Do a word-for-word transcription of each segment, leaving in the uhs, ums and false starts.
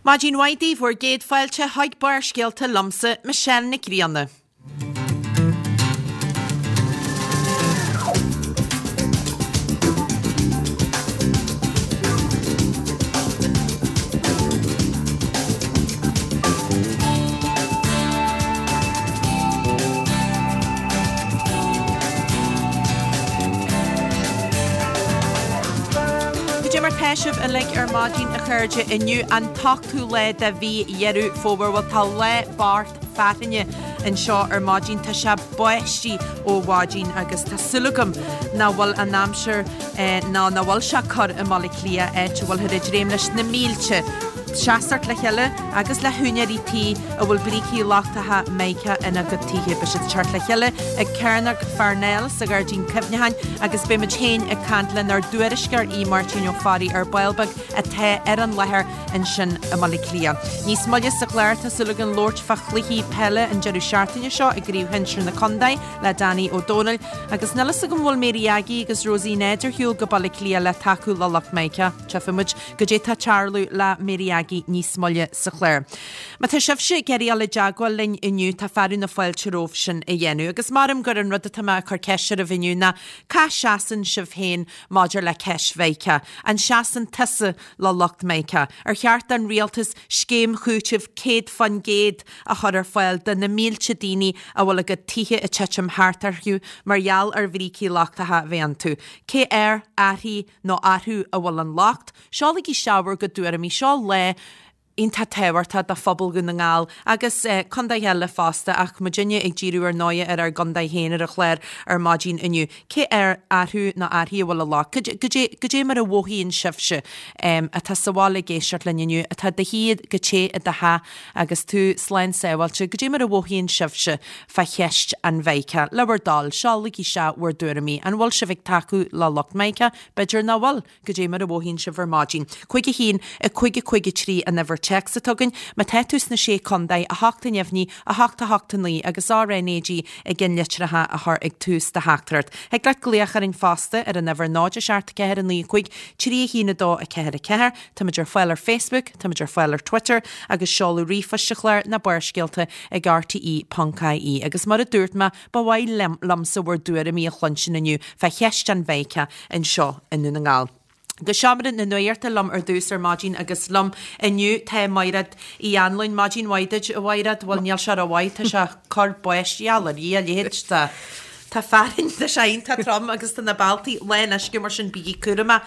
Maidin mhaith daoibh, bhur gcéad fáilte chuig Barrscéalta liomsa, Michelle Nic Grianna. Cad é mar tá sibh uilig ar maidin a chairde inniu an t-ochtú lá de mhí Dheireadh Fómhair bhuel tá lá bocht fearthainne anseo ar maidin tá sé báistí ó mhaidin agus tá súil agam nach bhfuil an aimsir ná nach bhfuil sé corr i mBaile Átha Cliath áit a bhfuilthear ag dréim leis na mílte seasamh le chéile agus le húinéirí tí a bhfuil brící lochtacha Mica ina gcuid tithe. Beidh siad ag teacht le chéile ag Cearnóg Pharnell sa Ghairdín Cuimhneacháin agus beidh muid féin ag caint lenár dtuairisceoir Aodh Máirtín Ó Fearraigh ar ball beag atá ar an láthair ansin i mBaile Átha Cliath. Níos moille sa chlár tá súil againn labhairt fá chluichí peile an deireadh seachtaine seo i gcraobh shinsir na contae le Danny Ó Dónaill agus níl fhios agam bhfuil Mary Aggie agus Rosie Ned ar shiúl go Baile Átha Cliath le tacú le lucht Mica. Tchífidh muid goidé tá ag tarlú le Mary Aggie níos moille sa chlár. Má tá sibhse ag iarraidh dul i dteagmháil linn inniu tá fearadh na fáilte romhaibh sin a dhéanamh. Agus maram gur an rud atá mé ag cur ceist oraibh inniu ná cá seasann sibh féin maidir le ceist Mhica? An seasann tusa le lucht Mica? Ar cheart don rialtas scéim chúitimh céad faoin gcéad a chur ar fáil do na mílte daoine a bhfuil a gcuid tithe ag titim thart orthu mar gheall ar bhrící lochtacha a bheith iontu. Cé air, uirthi nó orthu a bhfuil an locht, seolaigí isteach bhur gcuid tuairimí seo lá iontach tábhachtach do phobal Dhún na nGall agus contaetha eile fosta ach muidinne ag díriú ar ndóigh ar ár gcontae féin ar an chlár ar maidin inniu. Cé air, orthu nó uirthi a bhfuil an locht? Goidé mar a mhothaíonn sibhse atá sa bhaile ag éisteacht linn inniu, atá i do shuí go te i do theach agus tú slán sábháilte, goidé mar a mhothaíonn sibhse fá cheist an Mhica? Le bhur dtoil, seolaigí isteach bhur dtuairimí. An bhfuil sibh ag tacú le lucht Mica? B'fhéidir nach bhfuil. Goidé mar a mhothaíonn sibh ar maidin. Cúig a haon, a cúig a cúig a trí an uimhir téacs atá againn. Má tá tú sna Sé Contae, a hocht a neamhní, a hocht a hocht a naoi agus RnaG i gceannlitreacha a chur ag tús do theachtaireacht. Thig leat glaoch orainn fosta ar an uimhir náid a seacht ceathair a naoi a cúig trí a haon a dó a ceathair a ceathair. Táimid ar fáil ar Facebook, táimid ar fáil ar Twitter agus seoladh ríomhphoist an chláir ná Barrscéalta ag rte ponc ie. Agus mar a dúirt mé, ba mhaith liomsa bhur dtuairimí a chluinstin inniu fá cheist an Mhica anseo i nDún na nGall. Go seomra na nuachta liom ar dtús ar maidin agus liom inniu tá Maighread Uí Anluain. Maidin mhaith duit, a Mhaighread. Bhuel, níl sé rómhaith, tá sé cur báistí ar a leithéid de. Tá fearthainn, tá sé iontach trom agus tá na bealtaí lán uisce mar sin bígí cúramach.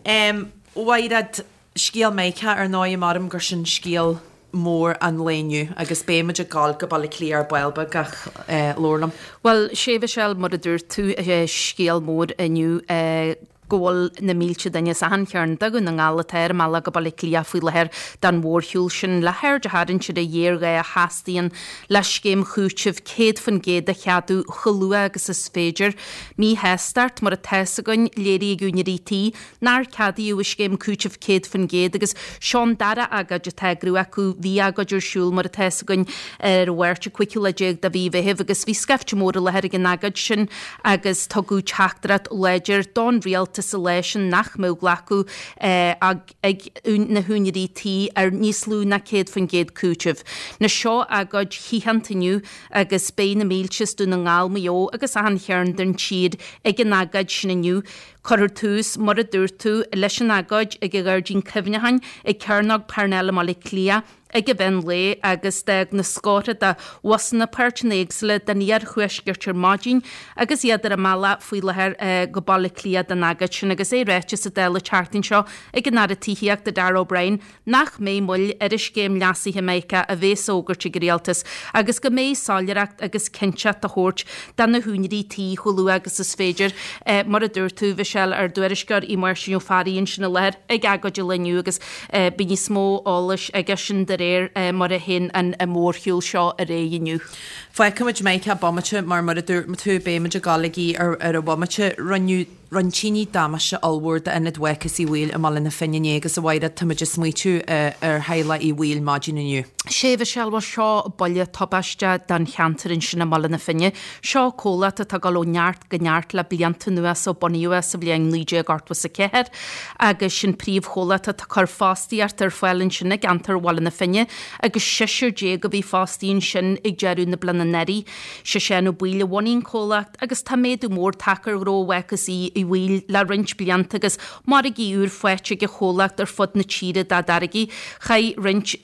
A Mhaighread, scéal Mhica ar ndóigh, maram gur sin scéal mór an lae inniu agus beidh muid ag gabháil go Baile Átha Cliath ar ball beag ach labhair liom. Bhuel, sé Mhichelle, mar a dúirt tú, scéal mór inniu go bhfuil na mílte duine as achan chearn de Dhún na nGall atá ar a mbealach go Baile Átha Cliath faoi láthair don mhórshiúl sin le haird a tharraingt ar an ghéarghá a theastaíonn le scéim chúitimh céad faoin gcéad a cheadú chomh luath agus is féidir. Míshástacht, mar atá fhios againn, léirithe ag úinéirí tí nár ceadaíodh an scéim cúitimh céad faoin gcéad agus seo an dara agóid atá á eagrú acu. Bhí agóid ar siúl, mar atá fhios againn, ar an Mháirt an cúigiú lá déag de mhí Mheithimh agus bhí scaifte mór i láthair ag an agóid sin agus tugadh teachtaireacht láidir don rialtas an lá sin nach mbeadh glacadh ag na húinéirí tí ar níos lú ná céad faoin gcéad cúitimh. Anois seo agóid shaothanta inniu agus beidh na mílte as Dún na nGall, Maigh Eo agus achan chearn den tír ag an agóid sin inniu. Cuirfear tús, mar a dúirt tú, leis an agóid ag an Ghairdín Cuimhneacháin ag Cearnóg Parnell i mBaile Átha Cliath ag an mheán lae agus d'fhág na scórtha de bhusanna páirteanna éagsúla den iarthuaisceart ar maidin agus iad ar a mbealach faoi láthair go Baile Átha Cliath don agóid sin agus é ráite sa Dáil an tseachtain seo ag an Aire Tithíochta Darragh O'Brien nach mbeidh moill ar an scéim leasaithe Mica a bheas á fhógairt ag an Rialtas agus go mbeidh soiléireacht agus cinnteacht á thabhairt do na húinéirí tí chomh luath agus is féidir. Mar a dúirt tú, Mhichelle, ár dtuairisceoir Aodh Máirtín Ó Fearraigh ansin i láthair ag agóid an lae inniu agus beidh níos mó eolais aige sin de réir mar a théann an mórshiúl seo ar aghaidh inniu. Fágfaimid Mica bomaite mar mar a dúirt tú beimid ag dul chuige ar ar an bhomaite. Rinneadh Rinne tine damáiste ollmhór d'Ionad Mharcas Uí Bhaoill i mBaile na Finne inné agus a Mhaighread, táimid ag smaoitiú ar theaghlach Uí Bhaoill maidin inniu. Sea, a Mhichelle, bhuel seo buille tubaisteach don cheantar ansin i mBaile na Finne. Seo comhlacht atá ag dul ó neart go neart le blianta anuas ó bunaíodh é sa bhliain naoi déag ochtó is a ceathair agus sin príomhchomhlacht atá ag cur fostaíocht ar fáil ansin i gceantar Bhaile na Finne agus seisear déag a bhí fostaí ansin ag deireadh na bliana anuraidh. Sé Seán Ó Baoill a bhunaigh an comhlacht agus tá méadú mór tagtha ar ghnó Mharcas Uí Bhaoill le roinnt blianta agus margaí úr faighte ag an chomhlacht ar fud na tíre dá dtáirgí. Chaith roinnt,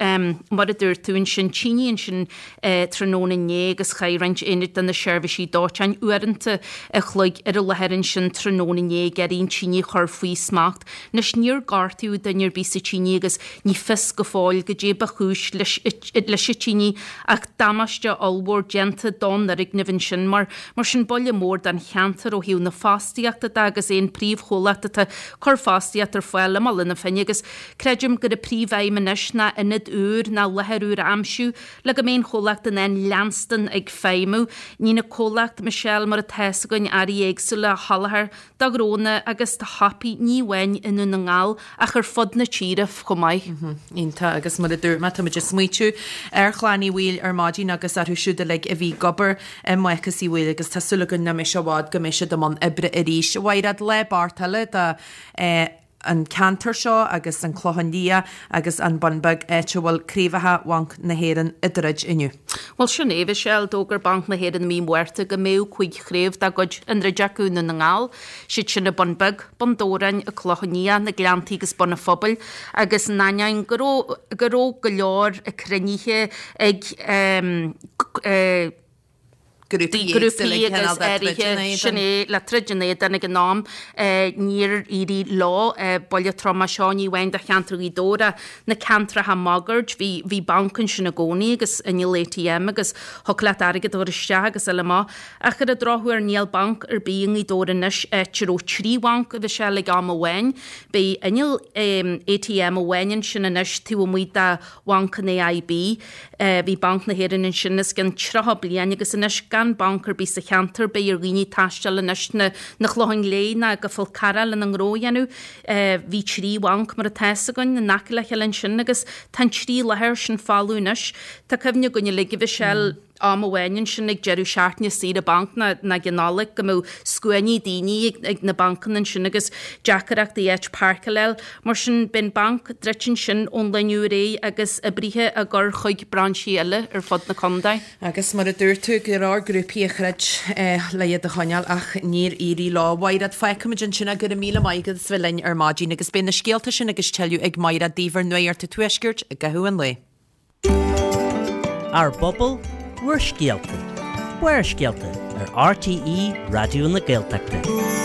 mar a dúirt tú ansin, tine ansin tráthnóna inné agus chaith roinnt aonad de na seirbhísí dóiteáin uaireanta a chloig ar an láthair ansin tráthnóna inné ag iarraidh an tine a chur faoi smacht. Anois níor gortaíodh duine ar bith sa tine agus ní fios go fóill goidé ba chúis leis an tine ach damáiste ollmhór déanta don fhoirgneamh ansin mar mar sin buille mór don cheantar ó thaobh na fostaíochta de agus é an príomhchomhlacht atá ag cur fostaíocht ar fáil i mBaile na Finne agus creidim gur an príomhaidhm anois ná ionad úr ná láthair úr a aimsiú le go mbeidh an chomhlacht in ann leanstan ag feidhmiú. Níonn an comhlacht, Michelle, mar atá fhios againn, earraí éagsúla a sholáthar do ghnónna agus do shiopaí, ní amháin i nDún na nGall ach ar fud na tíre chomh maith. Iontach, agus mar a dúirt mé, táimid ag smaoitiú ar chlann Uí Bhaoill ar maidin agus orthu siúd uilig a bhí ag obair i Maecas Uí Bhaoill agus tá súil againn nach mbeidh sé i bhfad go mbeidh siad i mbun oibre arís. A Mhaighread, lá bocht eile do an ceantar seo agus an Clochán Liath agus an Bun Beag, áit a bhfuil craobhacha Bhanc na hÉireann ag druid inniu. Bhuel, sin é, Michelle, d'fhógair Banc na hÉireann i mí Márta go mbeadh cúig chraobh dá gcuid á ndruid acu i nDún na nGall, siad sin i Bun Beag, Bun Dobhráin, an Clochán Liath, na Gleanntaí agus Bun an Phobail, agus in ainneoin go raibh go raibh go leor cruinnithe ag eh, Grúpaí grúpaí agus áirithe, sin é, le troid in éadan ag an am, níor éirigh leo. Buille trom é seo, ní amháin do cheantar Ghaoth Dobhair ach na ceantracha máguaird. Bhí, bhí banc ansin i gcónaí agus inneall ATM agus thiocfadh leat airgead a chur isteach agus eile amach. Ach ar an drochuair níl banc ar bith i Ngaoth Dobhair anois, áit a raibh trí bhanc, a Mhichelle, ag am amháin. Beidh inneall ATM amháin ansin anois taobh amuigh de Bhanc an AIB. Bhí Banc na hÉireann ansin os cionn tríocha bliain agus anois gan banc ar bith sa cheantar beidh ar dhaoine taisteal anois na na Clocháin Léith ná go Fál Carrach lena ngnó a dhéanamh. Bhí trí bhanc mar atá fhios againn in aice le chéile ansin agus tá an trí láthair sin folamh anois. Tá cuimhne againn uilig a Mhichelle, am amháin ansin ag deireadh seachtaine saoire banc ná ag an Nollaig go mbeadh scuainí daoine ag ag na bancanna ansin agus deacaireachtaí áit páirceáil a fháil. Mar sin beidh an banc druidte ansin ón lá inniu ar aghaidh agus oibrithe á gcur chuig brainsí eile ar fud na contae. Agus mar a dúirt tú, go leor grúpaí a throid le iad a choinneáil ach níor éirigh leo. Mhaighread, fágfaimid ansin é, go raibh míle maith agat as bheith linn ar maidin agus beidh na scéalta sin agus tuilleadh ag Maighread daoibh ar Nuacht an Tuaiscirt i gcaitheamh an lae. Ár bpobal, bhur scéalta. Barrscéalta ar RTÉ Raidió na Gaeltachta.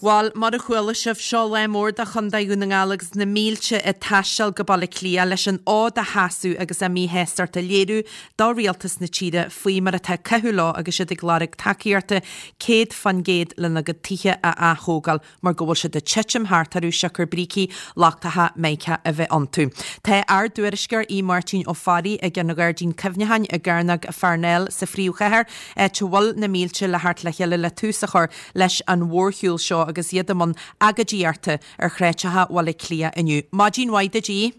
Bhuel, mar a chuala sibh, seo lá mór do Chontae Dhún na nGall agus na mílte ag taisteal go Baile Átha Cliath leis an fhód a sheasamh agus a míshástacht a léiriú do rialtas na tíre faoi mar atá ag caitheamh leo agus iad ag lorg tacaíochta céad faoin gcéad lena gcuid tithe a ath-thógáil. mar go bhfuil siad ag titim thart orthu siocair brící lochtacha Mica a bheith iontu. Tá ár dtuairisceoir Aodh Máirtín Ó Fearraigh ag an Ghairdín Cuimhneacháin i gCearnóg Pharnell sa phríomhchathair, áit a bhfuil na mílte le theacht le chéile le tús a chur leis an mhórshiúl seo agus iad i mbun agóidíochta ar shráideacha Bhaile Átha Cliath inniu. Maidin mhaith duit, Aodh.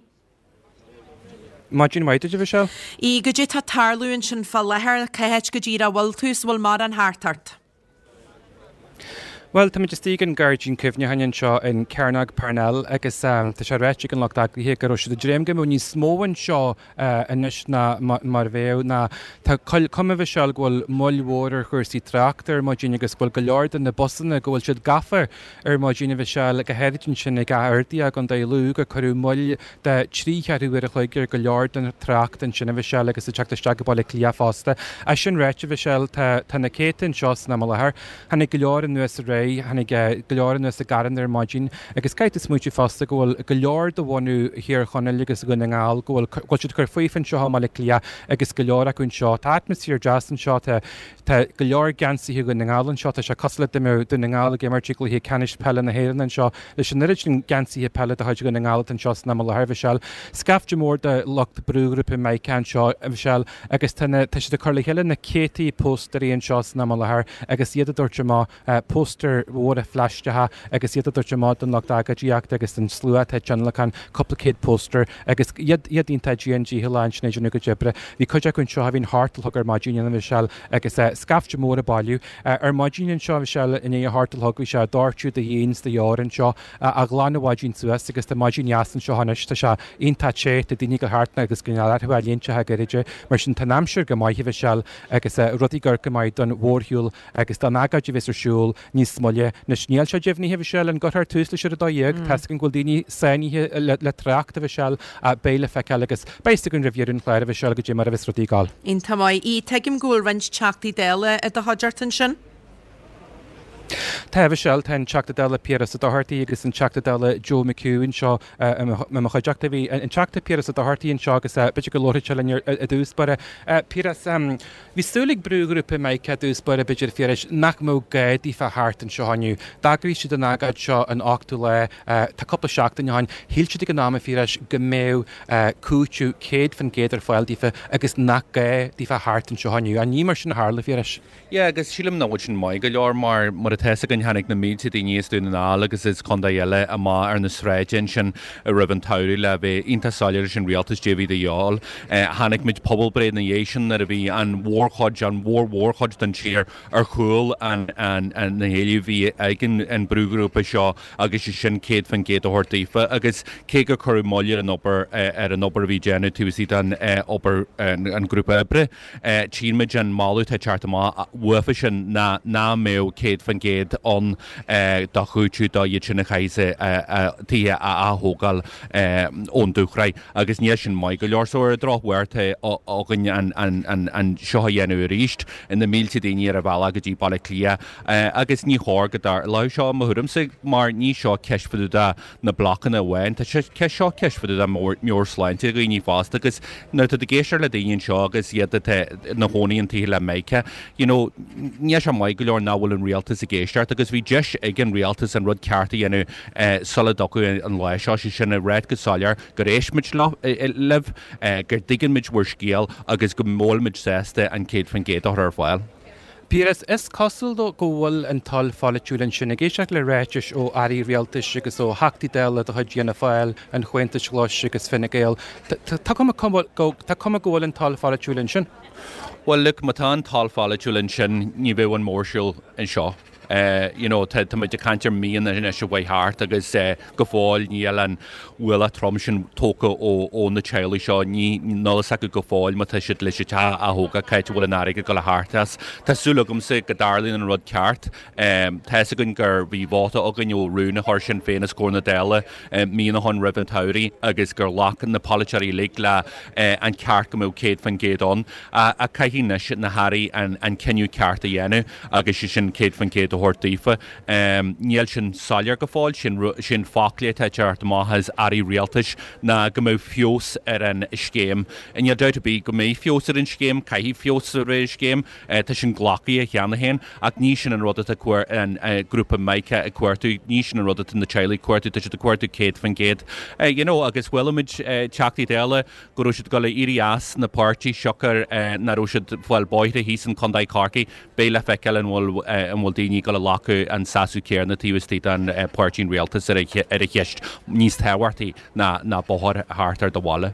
Maidin mhaith duit, a Mhichelle. Aodh, goidé tá ag tarlú ansin fá láthair, cá háit go díreach a bhfuil tú is an bhfuil mórán thart ort? Bhuel, táimid istigh an Gairdín Cuimhneacháin anseo in Cearnóg Parnell agus tá sé ráite ag an lucht eagraithe go raibh siad ag dréim go mbeadh níos mó anseo anois ná mar a bheadh ná tá cuma a Mhichelle go bhfuil moill mhór ar chúrsaí tráchta ar maidin agus go bhfuil go leor de na busanna go bhfuil siad gafa ar maidin a Mhichelle go háirid ansin ag Áth Fhirdhia i gContae Lú gur cuireadh moill de trí cheathrú uair a chloig ar go leor den trácht ansin a Mhichelle agus ag teacht isteach go Baile Átha Cliath fosta. É sin ráite a Mhichelle tá tá na céadta anseo san am i láthair. Tháinig go leor anuas aréir, tháinig go leor anuas i gcarranna ar maidin agus caithfidh tú smaointiú fosta go bhfuil go leor de bhunadh Thír Chonaill agus Dhún na nGall go bhfuil, go bhfuil siad ag cur faofa anseo i mBaile Átha Cliath agus go leor acu anseo. Tá atmaisféar deas anseo, tá, tá go leor geansaithe Dhún na nGall anseo, tá sé cosúil le dá mbeadh Dún na nGall ag imirt i gcluiche ceannais peile na hÉireann anseo leis an oiread sin geansaithe peile de chuid Dhún na nGall atá anseo san am i láthair, Mhichelle. Scaifte mór de lucht brúghrúpa Mica anseo, a Mhichelle, agus tá na, tá siad ag cur le chéile na céadtaí póstaerí anseo san am i láthair agus iad ag tabhairt amach póstaer póstaeir mhóra phlaisteacha agus iad ag tabhairt amach don lucht agóidíochta agus don slua atá ag tionlacan cúpla céad póstaer agus iad iad iontach dian dícheallach ansin ag déanamh a gcuid oibre. Bhí cuid acu anseo a bhí a hocht a chlog ar maidin a Mhichelle agus scaifte mór ag bailiú. Ar maidin anseo a Mhichelle i ndiaidh a hocht a chlog bhí sé ag doirteadh de dhíon is de dheoir anseo ach ghlan an mhaidin suas agus tá maidin dheas anseo anois tá sé iontach te tá daoine ag dul thart agus go n-orthu léinte gairide mar sin tá an aimsir go maith a Mhichelle agus rudaí ag amharc go maith don mhórshiúl agus don agóid a bheas ar siúl níos moille. Anois níl sé deimhnithe a Mhichelle an gcuirfear tús leis ar a dó dhéag, tá a fhios againn go bhfuil daoine sáinnithe le trácht a Mhichelle beidh le feiceáil agus beidh a fhios againn roimh dheireadh an chláir a Mhichelle goidé mar a bheas rudaí ag gabháil. Iontach maith. Aodh, tuigim go bhfuil roinnt Teachtaí Dála i do chuideachta ansin? Tá a Mhichelle, tá an Teachta Dála Piaras Ó Dochartaigh agus an Teachta Dála Joe McHugh anseo i mo chuideachta. Bhí an Teachta Piaras Ó Dochartaigh anseo agus b'fhéidir go labharfaidh sé linn i dtús báire. Piaras, bhí súil ag brúghrúpa Mica i dtús báire b'fhéidir a Phiarais nach mbeadh gá daofa theacht anseo inniu. D'eagraigh siad an agóid seo an ochtú lá, tá cúpla seachtain ó shin. Shíl siad ag an am a Phiarais go mbeadh cúiteamh céad faoin gcéad ar fáil daofa agus nach gá daofa theacht anseo inniu. Ach ní mar sin a tharla, a Phiarais. Yeah, agus sílim nach bhfuil sin maith go leor mar mar atá a fhios againn tháinig na mílte daoine as Dún na nGall agus as contae eile amach ar na sráideanna ansin roimh an tsamhradh le bheith iontach soiléir leis an rialtas goidé a bhí de dhíobháil. Chonaic muid pobalbhreith ina dhiaidh sin nuair a bhí an mhórchuid, an mhór-mhórchuid den tír ar chúl an na héilimh a bhí ag an brúghrúpa seo agus é sin céad faoin gcéad a thabhairt daofa agus cé gur cuireadh moill ar an obair ar an obair a bhí déanamh taobh istigh den obair an grúpa oibre, tchíonn muid an moladh atá ag teacht amach uafa sin ná nach mbeadh céad faoin gcéad ann do chúiteamh do iad sin a chaithfidh a dtithe a ath-thógáil ón dúshraith agus níl sin maith go leor. So ar an drochuair tá againn an seo a dhéanamh arís, na mílte daoine ar a bhealach go dtí Baile Átha Cliath agus ní chóir go dtarlódh seo i mo thuairimse mar ní seo ceist fá dtaobh de na blocanna amháin, tá sé seo ceist fá dtaobh de meabhairshláinte dhaoine fosta agus nuair atá tú ag éisteacht le daoine anseo agus iad atá ina chónaí in tithe le Mica, you know, níl sé maith go leor nach bhfuil an rialtas ag éisteacht agus bhí deis ag an rialtas an rud ceart a dhéanamh sula dtiocfadh an lá seo, sé sin a ráit go soiléir gur éist muid libh, gur dtuigeann muid bhur scéal agus go bhfuil muid sásta an céad faoin gcéad a chur ar fáil. Piaras, Is cosúil dó go bhfuil an toil pholaitiúil ansin. Ag éisteacht le ráitis ó airí rialtais agus ó Theachtaí Dála de chuid Fhianna Fáil, an Chomhaontais Ghlais agus Fine Gael, tá cuma go bhfuil an toil pholaitiúil ansin. Bhuel, look, má tá an toil pholaitiúil ansin, ní bheadh an mórshiúl anseo. You know, tá muid ag caint ar míonna anois a bheith thart agus go fóill níl an ualach trom sin tógtha ó na teaghlaigh seo. Ní, níl a fhios acu go fóill má tá siad leis an teach a ath-thógáil, cá háit a bhfuil an airgead ag dul a theacht as. Tá súil agamsa go dtarlaíonn an rud ceart. Tá a fhios againn gur bhí vóta againn ó rún a chuir Sinn Féin os comhair na Dála míonna ó shin roimh an tsamhraidh agus gur ghlac na polaiteoirí uilig le an ceart go mbeadh céad faoin gcéad ann. Ach caithfidh anois na hairí an cinneadh ceart a dhéanamh agus sé sin céad faoin gcéad a thabhairt daofa. Níl sin soiléir go fóill, sin sin foclaí atá ag teacht amach as airí rialtais ná go mbeadh feabhas ar an scéim. Níl dabht ar bith go mbeidh feabhas ar an scéim, caithfidh feabhas a bheith ar an scéim, tá sin glactha cheana féin ach ní sin an rud atá an grúpa Mica ag cuartú, ní sin an rud atá na teaghlaigh ag cuartú, tá siad ag cuartú céad faoin gcéad. You know, agus chuala muid Teachtaí Dála go raibh siad ag dul a éirí as na páirtí siocair nach raibh siad ag fáil bóithre thíos in Contae Chorcaí. Beidh le feiceáil an bhfuil an bhfuil daoine ag dul a ghlacadh an seasamh céanna taobh istigh den páirtí an rialtas ar ar an cheist níos tábhachtaí ná ná bóthar thart ar do bhaile.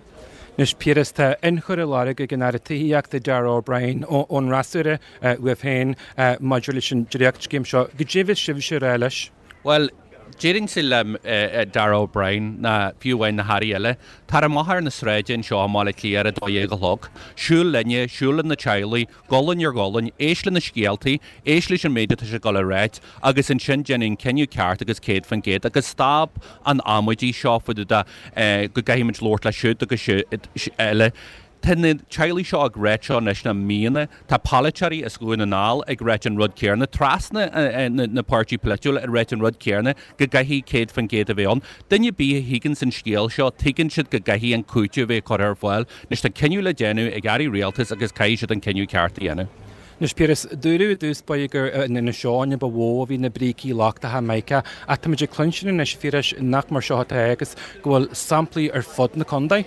Anois Piaras, tá ionchur á lorg ag an Aire Tithíochta Darragh O'Brien ón fhreasúra uaibh féin maidir leis an dréachtscéim seo. Goidé a bheas sibhse a rá leis? Bhuel, déarfainnse le Darragh O'Brien ná fiú amháin na hairí eile, tar amach ar na sráideanna anseo i mBaile Átha Cliath ar a dó dhéag a chlog. Siúil linne, siúil le na teaghlaigh, gualainn ar ghualainn, éist le na scéaltaí, éist leis an méid atá sé ag dul a ráit agus ansin déan an cinneadh ceart agus céad faoin gcéad agus stop an amaidí seo fá dtaobh de go gcaithfidh muid labhairt le siúd agus eile. Tá na teaghlaigh seo ag ráit seo anois le míonna. Tá polaiteoirí as Dhún na nGall ag ráit an rud céanna, trasna na páirtí polaitiúil ag ráit an rud céanna, go gcaithfidh céad faoin gcéad a bheith ann. Duine ar bith a thuigeanns an scéal seo, tuigeann siad go gcaithfidh an cúiteamh a bheith curtha ar fáil. Anois tá cinneadh le déanamh ag airí rialtais agus caithfidh siad an cinneadh ceart a dhéanamh. Anois Piaras, dúradh i dtús báire gur in Inis Eoghain a ba mhó a bhí na brící lochtacha, Mica, ach táimid ag cluinstin anois, a Phiarais, nach mar seo atá agus go bhfuil samplaí ar fud na contae.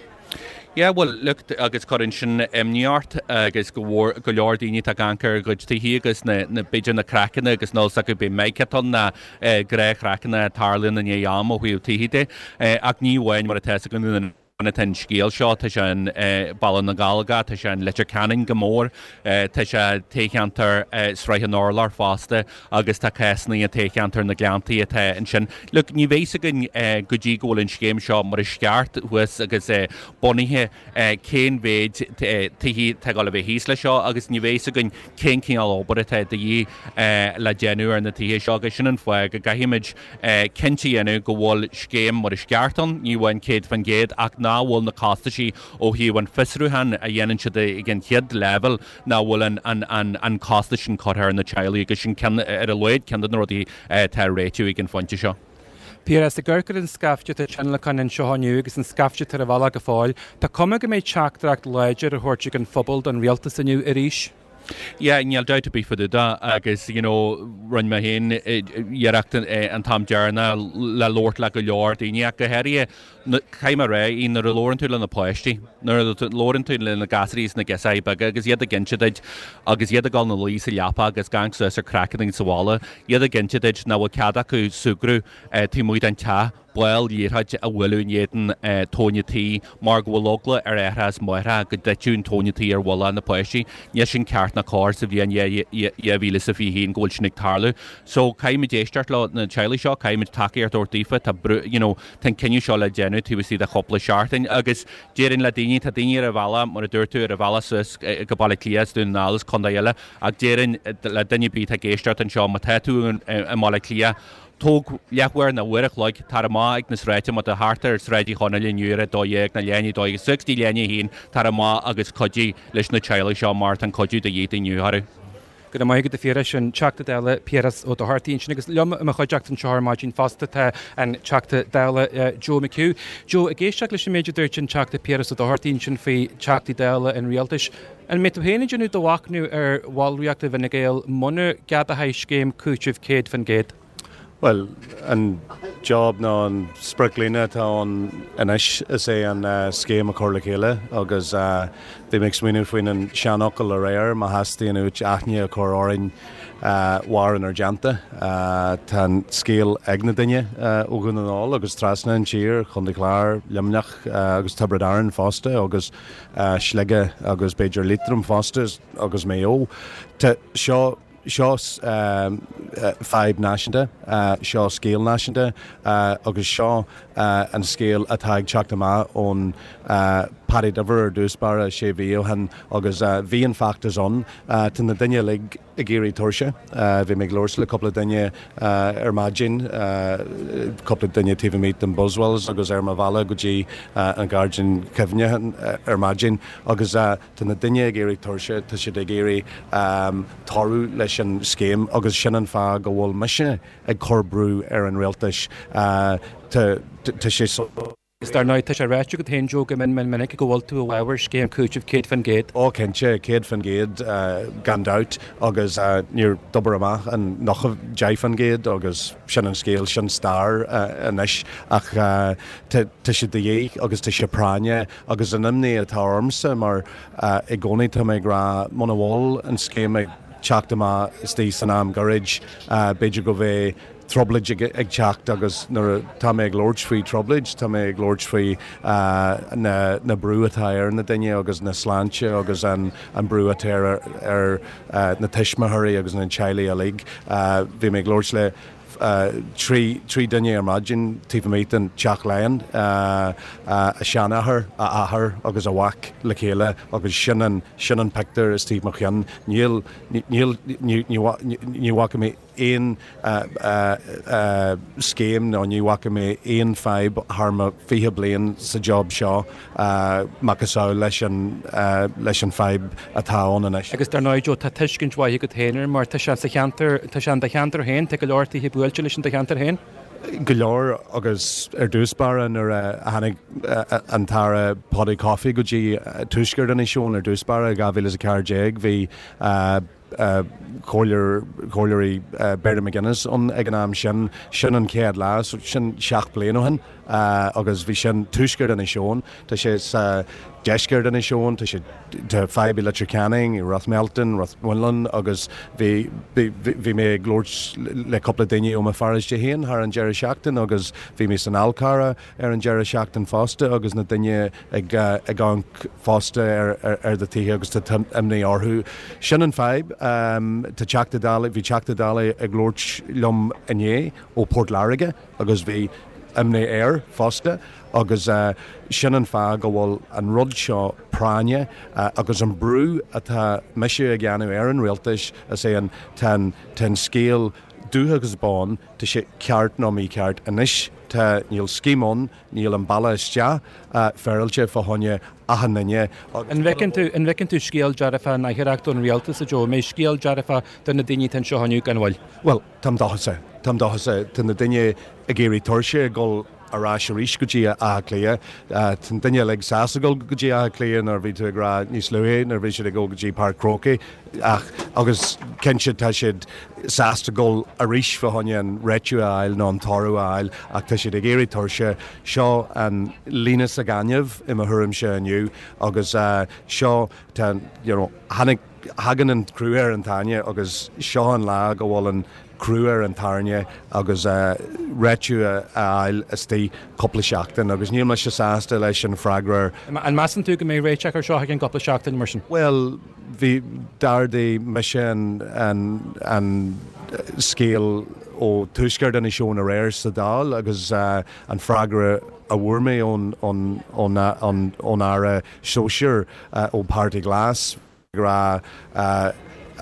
Yeah, well, look, agus cuireann sin imní ort agus go mhór go leor daoine atá ag amharc ar a gcuid tithe agus na, na, b'fhéidir na craiceanna agus níl a fhios acu b'é meiceatán ná eh, gnáthchraiceanna a tarlaíonn i ndiaidh am ó thaobh tithe de. Eh, ach ní amháin mar atá a fhios againn atá an scéal seo, tá sé in eh, Baile na nGallóglach, tá sé in Leitir Ceanainn go mór, eh, tá sé toghcheantar eh, Srath an Urláir fosta agus tá cásanna i toghcheantar na Gleanntaí atá ansin. Look, ní bheidh a fhios againn eh, go dtí go bhfuil an scéim seo mar is ceart thuas agus eh, bunaithe eh, cén mhéid eh, tithe atá ag dul a bheith thíos leis seo agus ní bheidh a fhios againn cén cineál obair atá de dhíth eh, le déanamh ar na tithe seo agus sin an fáth go gcaithfimid eh, cinnte a dhéanamh go bhfuil scéim mar is ceart ann, ní amháin céad faoin gcéad ach nach bhfuil na costaisí ó thaobh an fiosrúcháin a dhéanann siad ag an chéad leibhéal nach bhfuil an, an, an, an costas sin curtha ar na teaghlaigh agus sin ceann ar a laghad ceann de na rudaí atá á réitiú ag an phointe seo. Piaras ag amharc ar an scaifte atá tionlacan anseo inniu agus an scaifte ar an bhealach go fóill, Tá cuma go mbeidh teachtaireacht láidir á thabhairt ag an phobal don rialtas inniu arís. Yeah, níl dabht ar bith faoi deara agus you know, rinne mé féin iarracht an t-am deireanach le labhairt le go leor daoine ach go háirithe caithfidh mé a rá nuair a labhrann tú le na páistí, nuair a labhrann tú le na gasúirí is na girseachaí beaga agus iad ag inse duit agus iad ag dul ina luí sa leapa agus ag amharc suas ar craiceanna sa bhalla, iad ag inse duit nach bhfuil cead acu súgradh taobh amuigh den teach ball liathróid a bhualadh in éadan tóin tí mar go bhfuil eagla ar aithreacha is máithreacha go dtitfeadh an tóin tí ar mhullach na páistí. Níl sin ceart ná cóir sa bhliain dhá mhíle is a fiche haon go bhfuil sin ag tarlú. So caithfimid éisteacht le na teaghlaigh seo, caithfimid tacaíocht a thabhairt daofa, tá brú you know, tá an cinneadh seo le déanamh taobh istigh de chúpla seachtain agus déarfainn le daoine tá daoine ar an bhealach mar a dúirt tú ar an bhealach suas go Baile Átha Cliath Dún na nGall is contae eile ach déarfainn le duine ar bith atá ag éisteacht anseo má tá tú i mBaile Átha Cliath Tóg leathuair nó uair a chloig tar amach ag na sráideanna má tá thart ar Sráid Uí Chonaill inniu ar a dó dhéag nó leath i ndiaidh a dó dhéag suas go dtí leath i ndiaidh a haon tar amach agus cuidigh leis na teaghlaigh seo mar tá an cuidiú de dhíth inniu orthu. Go raibh maith agat a Phiarais an Teachta Dála Piaras Ó Dochartaigh ansin agus liom i mo chuideachta anseo ar maidin fosta tá an Teachta Dála Joe McHugh. Joe, ag éisteacht leis an méid a dúirt an Teachta Piaras Ó Dochartaigh ansin faoi Teachtaí Dála an Rialtais, an mbeidh tú féin ag déanamh do mhachnamh ar bhallraíocht i bhFine Gael muna gceadófaí scéim cúitimh céad faoin gcéad? Well, an job nó an sprioclíne atá ann anois is é an uh, scéim a chur le chéile agus uh, bhí mé ag smaoineamh faoin an seanfhocal aréir má theastaíonn uait aithne a chur orainn uh, mair inár dteannta. Uh, tá an scéal ag na daoine uh, ó Dhún na nGall agus trasna an tír Chontae Chláir Luimneach uh, agus Tiobraid Árann fosta agus uh, Sligeach agus b'fhéidir Liatroim fosta agus Maigh Eo. Seo seo um, uh, fadhb náisiúnta, uh, seo scéal náisiúnta uh, agus seo uh, an scéal atá ag teacht amach ón uh, Paddy Diver ar dtús báire sé mhí ó shin agus uh, bhí an feachtas ann uh, tá na daoine uilig ag éirí tuirseach. Uh, bhí mé ag labhairt le cúpla duine uh, ar maidin, uh, cúpla duine taobh amuigh den Buswells agus ar mo bhealach go dtí uh, an Gairdín Cuimhneacháin uh, ar maidin agus uh, tá na daoine ag éirí tuirseach tá siad ag éirí um, toradh leis an scéim agus sin an fáth go bhfuil mise ag cur brú ar an rialtas uh, tá sé so Is dar ndóigh tá sé ráite agat féin Joe go mion mion minic go bhfuil tú i bhfabhar scéim cúitimh céad faoin gcéad. Ó cinnte céad faoin gcéad gan dabht agus uh, níor d'obair amach an nócha deich faoin gcéad agus sin an scéal sin stair uh, anois ach uh, tá sé de dhíth agus tá sé práinneach agus an imní atá ormsa mar uh, i gcónaí tá mé ag rá muna bhfuil an scéim ag teacht amach istigh san am gairid uh, b'fhéidir go bheidh trioblóid ag, ag teacht agus nuair tá mé ag labhairt faoi trioblóid, tá mé ag labhairt faoi uh, na, na brú atá ar na daoine agus na sláinte agus an, an brú atá ar, ar uh, na tuismitheoirí agus na teaghlaigh uilig. Uh, bhí mé ag labhairt le uh, trí trí duine ar maidin taobh amuigh den Teach Laighean uh, uh, a seanathair a athair agus a mhac le chéile agus sin an sin an pictiúr is taobh mo cheann níl níl ní bhfaca mé aon uh, uh, uh, scéim nó ní bhfaca mé aon fadhb thar mo fiche bliain sa job seo uh, macasamhail leis an uh, leis an fadhb atá ann anois. Agus dar ndóigh tá tuiscint mhaith agat féin mar tá sé sa cheantar tá sé do cheantar féin tá go leor tithe buailte leis an do cheantar féin. Go leor agus ar dtús báire nuair a tháinig an tAire Paudie Coffey go dtí tuaisceart Inis Eoghain ar dtús báire dhá mhíle is a ceathair déag bhí comhairleoirí Mary McGuinness ann ag an am sin sin an chéad lá so sin seacht bliain ó shin agus bhí sin tuaisceart Inis Eoghain tá sé sa deisceart Inis Eoghain tá sé tá fadhb i Leitir Ceanainn i Rathmelton Rathmullan agus bhí bhí mé ag labhairt le cúpla duine ó mo pharóiste féin thar an deireadh seachtain agus bhí mé san Fhál Carrach ar an deireadh seachtain fosta agus na daoine ag ag amharc fosta ar ar ar do tithe agus tá imní orthu. Sin an fadhb um, tá Teachta Dála bhí Teachta Dála ag labhairt liom inné ó Port Láirge agus bhí imní air fosta agus uh, sin an fáth go bhfuil an rud seo práinne uh, agus an brú atá mise ag déanamh ar an rialtas is é an tá an scéal dubh agus bán tá sé ceart nó mícheart anois tá níl scéim ann níl an bealach isteach uh, féaráilte fá choinne achan duine. An bhfeiceann tú an bhfeiceann tú scéal dearfa na hireacht ón rialtas a Joe, mé scéal dearfa do na daoine atá anseo inniu gan mhoill. Well, Tam dóchasach Tam dóchasach tá na daoine ag éirí tuirseach ag dul ar ais arís go dtí Áth Cliath Tá daoine like sásta dul go dtí Áth Cliath nuair bhí tú ag rá níos luaithe nuair bhí siad ag dul go dtí Páirc Chrócaigh ach agus cinnte tá siad sásta dul arís fá choinne an réiteach a fháil nó an toradh a fháil ach tá siad ag éirí tuirseach seo an líne sa ghaineamh i mo thuairimse inniu agus uh, seo tá you know, tháinig thagann an crú ar an tairne agus seo an lá go bhfuil an crú ar an tairne agus uh, réiteach a fháil istigh cúpla seachtain agus níl mise sásta leis an freagra. An measann tú go mbeidh réiteach ar seo ag an gcúpla seachtain mar sin? Well, bhí d'ardaigh mise an, an, an scéal ó tuaisceart Inis Eoghain aréir sa Dáil agus uh, an freagra a bhfuair mé ón ón ón ón ón aire sóisir uh, ó Páirtí Glas rá uh,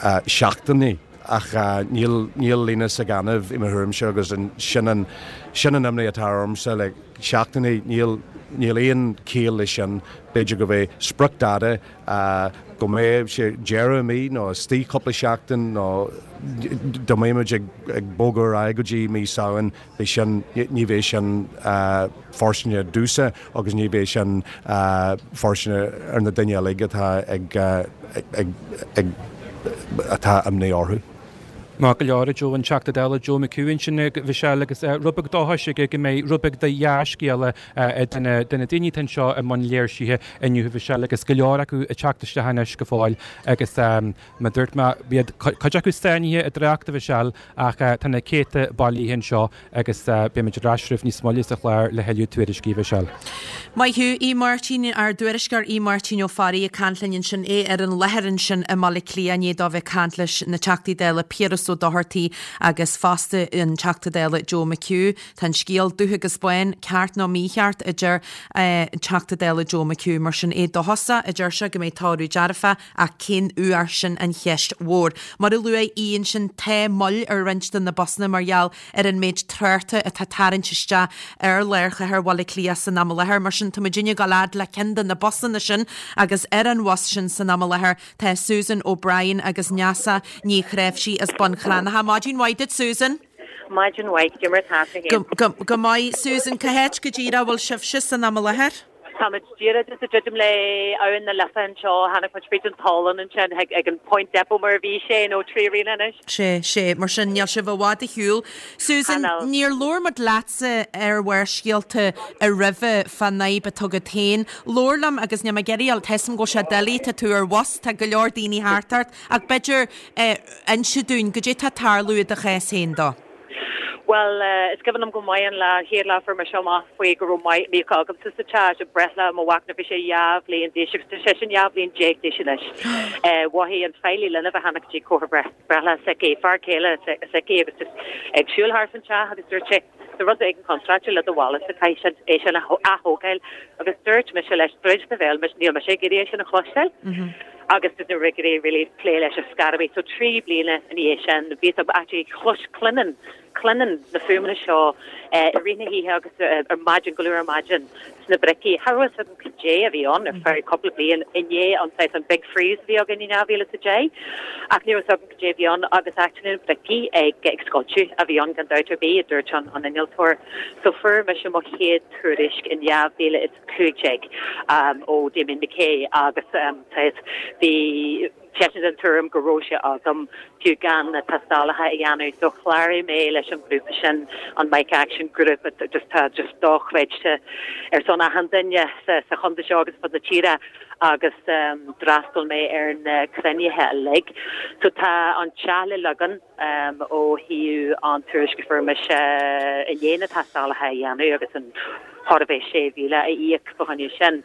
uh, seachtainí ach uh, níl níl líne sa ghaineamh i mo thuairimse agus an sin an sin an imní atá ormsa le seachtainí níl níl aon chiall leis sin b'fhéidir go bheith spriocdháta uh, go mbeidh sé deireadh mí nó istigh cúpla seachtain nó dá mbeimid ag ag bogadh ar aghaidh go dtí mí Samhain bhí sin ní bheidh sin uh, fóirsteanach domhsa agus ní bheidh sin uh, fóirsteanach ar na daoine uilig atá ag, uh, ag, ag, ag atá imní orthu. Má go leor Joe an Teachta Dála Joe McHugh sin bhí sé agus rud beag dóchais go mbeidh rud beag de dhea-scéala do na daoine anseo i mbun léirsithe inniu bhí sé agus go leor acu ag teacht isteach anois go fóill agus mar dúirt mé bhí cuid acu sáinnithe i dtrácht bhí sé ach tá na céadta bailithe anseo agus beimid ar ais níos moille sa chlár le thuilleadh tuairiscí bhí sé. Maith thú Aodh Máirtín ár dtuairisceoir Aodh Máirtín Ó Fearraigh ag caint linn ansin é ar an láthair ansin i mBaile Átha Cliath inné dó bheith caint leis na Teachtaí Dála Piaras Ó Dochartaigh agus fosta an Teachta Dála Joe McHugh Tá an scéal dubh agus bán ceart nó mícheart a deir Teachta Dála Joe McHugh mar sin é dóchasach a deir sé go mbeidh toradh dearfa ach cén uair sin an cheist mhór. Mar a luaigh Aodh ansin tá moill ar roinnt de na busanna mar gheall ar an méid tráchta atá tarraingt isteach ar lár chathair Bhaile Átha Cliath san am i láthair mar sin tá muidinne ag dul fhad le ceann de na busanna sin agus ar an bhus sin san am i láthair tá Susan O'Brien agus Neasa Ní Chreimhsí as Bun Cranncha. Maidin mhaith duit Susan. Maidin mhaith cad é mar atá Go, go, go maith Susan cá háit go díreach a bhfuil sibhse san am i láthair? Táimid díreach ag druidim le Abhainn na Life anseo tháinig muid fríd an Tolláin ansin ag an Point Depot mar bhí sé nó trí rian anois. Sé sé mar sin níl sibh i bhfad ar shiúl. Susan níor labhair muid leatsa ar Bharrscéalta a roimhe fán fhadhb atá agat féin. Labhair liom agus níl mé ag iarraidh tuigim go bhfuil sé doiligh tá tú ar bhus tá go leor daoine thart ort ach b'fhéidir eh, inse dúinn goidé tá ag tarlú i do chás féin dó. Well uh, is cuimhin liom go maith an lá chéad lá fuair mé seo amach faoi go raibh míoca agamsa sa teach i breithlá mo mhac nuair bhí sé dhá bhliain d'aois agus tá sé sin dhá bhliain déag d'aois anois. Uh, Mhothaigh an feighlí linbh a tháinig dtí comhair breithlá s'aici fear céile s'aici agus just ag siúl thart an teach agus dúirt sé Tá rud éigin contráilte le do bhalla sa caithfidh é sin a aththógáil agus dúirt mise leis tríd na bhéal níl mise ag iarraidh é sin a chloisteáil. agus ní raibh really plé leis an scarabí so trí bliana ina dhiaidh sin bhí actually chlois cluinim cluinim na fuaimeanna seo eh, i rith na hoíche agus eh, ar maidin go luath ar maidin sna bricí. Cha raibh a fhios agam goidé a bhí ann ar feadh cúpla bliain i ndiaidh an an big freeze bhí againn in dhá mhíle a deich ach ní raibh a fhios agam goidé bhí ann agus actually na bricí ag ag scoilteadh a bhí ann gan dabht ar bith a dúirt an an innealtóir. So fuair mise mo chéad tuairisc in dhá mhíle is cúig déag um, ó Damien McKay agus um, bhí seisean den tuairim go raibh sé agam fiú gan na tástálacha a dhéanamh so chláraigh mé leis an ghrúpa sin an Mica Action Group just tá just dochreidte ar son achan duine sa sa chontae seo agus fud na tíre agus um, d'fhreastail mé ar na cruinnithe uilig. So tá an teach le leagan um, ó thaobh an tuairisc a fuair mise i ndiaidh na tástálacha a dhéanamh agus an chóir a bheith sé mhíle a íoc fá choinne sin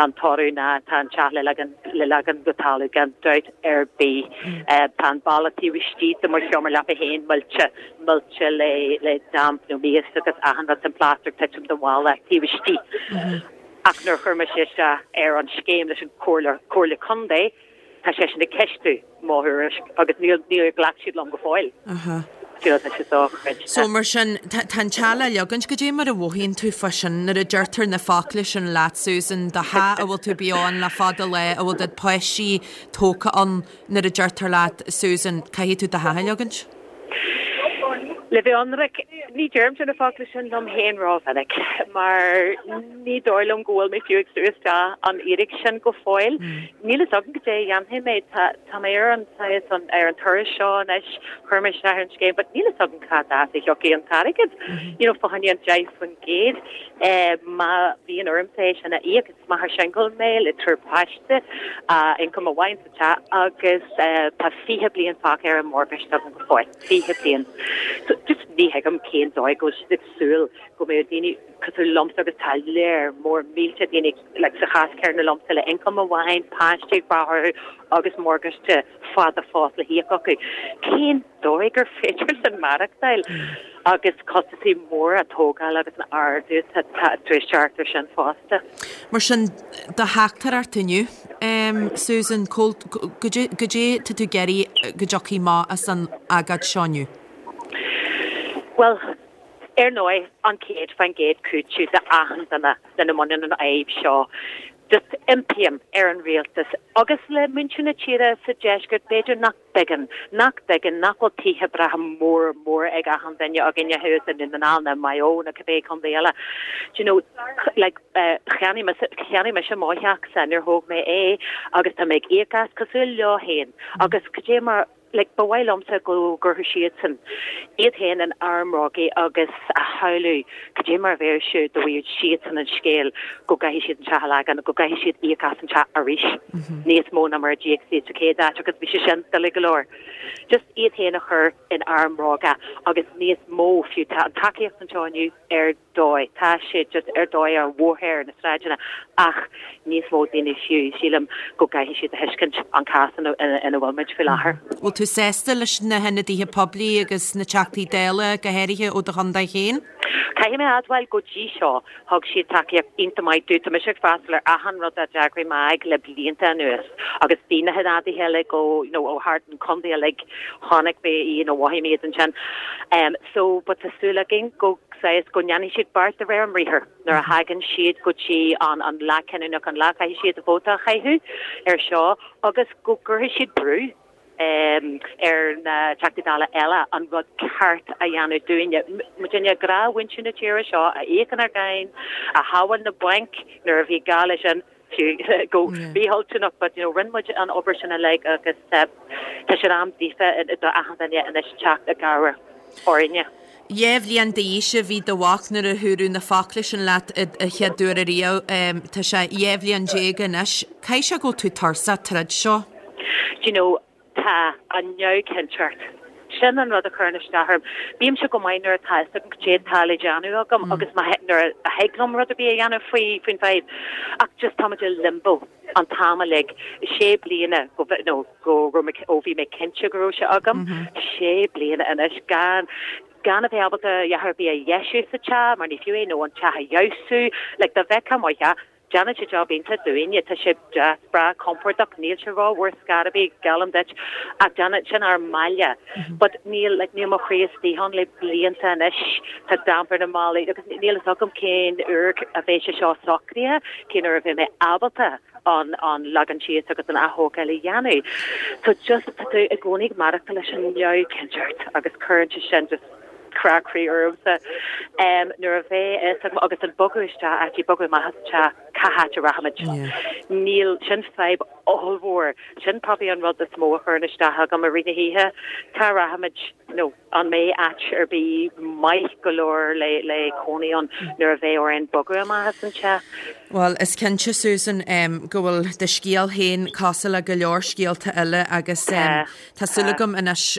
an toradh ná tá an teach le leagan le leagan go talamh gan dabht ar bith. Tá an balla taobh istigh de mo sheomra leapa féin millte millte le le damp nó mias agus achan rud an plaster ag titim den bhalla taobh istigh. Ach nuair a chuir mise isteach ar an scéim leis an Comhairle Comhairle Contae tá seisean ag ceistiú mo thuairisc agus níl níor ghlac siad liom go fóill. Aha. Do you know, tá sé dochreidte. So mar sin tá tá an teach le leagaint goidé mar a mhothaíonn tú fá sin nuair a deirtear na focla sin leat Susan do theach a bhfuil tú beo ann le fada lá a bhfuil do pháistí tógtha ann nuair a deirtear leat Susan caithfidh tú do theach a leagaint? Le bheith ionraic, ní deirimse na focla sin liom féin rómhinic, mar ní dóigh liom go bhfuil mé fiú ag sú isteach an fhíric sin go fóill. Níl a fhios agam goidé a dhéanfaidh mé, tá tá mé ar an saghas an ar an turas seo anois, chuir mé isteach ar an scéim, but níl a fhios agam cad as a thiocfaidh an t-airgead. You know, fá choinne an deich faoin gcéad, eh, má bhíonn ormsa é sin a íoc, is máthair singil mé le triúr páiste, uh, income amháin sa teach agus eh, tá fiche bliain fágtha ar an morgáiste agam go fóill, fiche bliain. So just ní thuigim cén dóigh go bhfuil siad ag súil go mbeidh daoine cosúil liomsa agus tá léir mór mílte daoine like, sa chás céanna liomsa le income amháin, páistí ag brath orthu agus morgáiste fada fós le híoc acu. Cén dóigh gur féidir linn maireachtáil agus costaisí móra tógáil agus an ardú tá tar éis teacht air sin fosta. Mar sin do theachtaireacht inniu, um, Susan, goidé goidé tá tú ag iarraidh go dtiocfaidh amach as an agóid seo inniu. Well, ar ndóigh an céad faoin gcéad cúiteamh d'achan duine lena mbaineann an fhadhb seo. Just impím ar an rialtas agus le muintir na tíre sa deisceart b'fhéidir nach dtuigeann, nach dtuigeann nach bhfuil tithe breátha móra móra ag achan duine againne thuas i nDún na nGall nó Maigh Eo nó cibé contae eile. Do you know, like, uh, cheannaigh mise cheannaigh mise mo theachsa nuair a thóg mé é agus tá mé ag íoc as cosúil leo féin agus goidé mar like, ba mhaith liomsa go gcuirfeadh siadsan iad féin in armbhróga agus a shamhlú goidé mar a bheadh sé dá bhfaigheadh siadsan an scéal go gcaithfidh siad an teach a leagan, go gcaithfidh siad íoc as an teach arís níos mó ná mar a d'íoc siad sa chéad áit agus bhí sé sin doiligh go leor. Just iad féin a chur in armbhróga agus níos mó fiú tá an tacaíocht anseo inniu ar dóigh. Tá sé just ar dóigh ar bhóithre na sráideanna ach níos mó daoine fiú sílim go gcaithfidh siad a thuiscint an cás ina ina bhfuil muid faoi láthair. Bhfuil tú sásta leis na hionadaithe poiblí agus na teachtaí Dála go háirithe ó do chontae féin? Caithfidh mé a admháil go dtí seo thug siad tacaíocht iontach maith dúinn. Tá mise ag freastal ar achan rud a d'eagraigh MAG le blianta anuas agus bhí na hionadaithe eile go you know, ó thart an contae uilig chonaic mé you know, mhothaigh mé iad ansin. Um, so but tá súil againn go saghas go ndéanfaidh siad beart de réir a mbriathar nuair a thagann siad go dtí an an lá cinniúnach an lá caithfidh siad a vóta a chaitheamh ar seo agus go gcuirfidh siad brú um, ar na Teachtaí Dála eile an rud ceart a dhéanamh dúinne. Muidinne gnáthmhuintir na tíre seo a íocann ár gcáin, a shábháil na bainc nuair a bhí gá leis sin fiú go mhillteanach, but you know, rinne muid an obair sin uilig agus uh, tá sé am daofa do achan duine anois teacht i gcabhair orainne. Dhá bhliain d'aois a bhí do mhac nuair a dúradh na focla sin leat a chéad uair ariamh, um, tá sé dhá bhliain déag anois. Caithfidh sé go bhfuil tú tuirseach tríd seo? Do you know, tá an neamhchinnteacht. Sin an rud a chuireann isteach orm. Bímse go maith nuair atá a fhios agam goidé atá le déanamh agam agus má nuair a thig liom rud ar bith a dhéanamh faoi faoin bhfadhb. Ach just táimid i limbo an t-am uilig sé bliana go no, go raibh mé ó bhí mé cinnte go raibh sé agam, sé bliana anois gan gan a bheith ábalta a dhath ar bith a dheisiú sa teach mar ní fiú é nó an teach a fheabhsú, like dá bhfeicfeá mo theach déanann sé job iontach dúinne tá sé deas breá compordach níl sé rófhuar scor ar bith geallaim duit ach déanann sin ár mbaile. But níl like, níl mo chroí istigh ann le blianta anois tá damp ar na ballaí agus níl a fhios agam cén uair a bheidh sé seo socraithe, cén uair a bheidh mé ábalta an an leagan síos agus an athógáil a dhéanamh. So just tá tú i gcónaí ag maireachtáil leis an neamhchinnteacht agus cuireann sé sin just crá croí ormsa. Um, nuair a bheidh a fhios agam agus an bogadh isteach actually bogadh amach as an teach Cá háit a rachaimid? Níl, sin fadhb ollmhór. Sin probably an rud is mó a chuireann isteach agam i rith na hoíche. Cá rachaimid nó an mbeidh áit ar bith maith go leor le le cónaí ann nuair a bheidh orainn bogadh amach as an teach? Bhuel, is cinnte, Susan, go bhfuil do scéal féin cosúil le go leor scéalta eile agus tá súil agam anois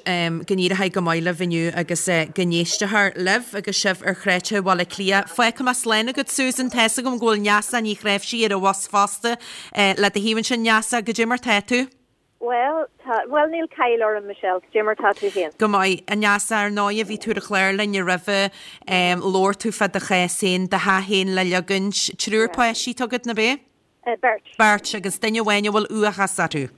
go n-éireoidh go maith libh inniu agus go n-éistfear libh agus sibh ar shráideanna Bhaile Átha Cliath. Fágfaidh mé slán agat, Susan. Tá's agam go bhfuil Neasa Ní Chnáimhsí ar an bhus fosta le do thaobh ansin. Neasa, goidé mar tá tú? Bhuel, tá, bhuel níl caill orm, Michelle, goidé mar tá tú féin? Go maith. A Neasa, ar ndóigh, bhí tú ar an chlár linn roimhe, labhair tú fá do chás féin, do theach féin le leagaint. Triúr páistí atá agat, ná bea? Beirt. Beirt, agus duine amháin a bhfuil uathachas orthu.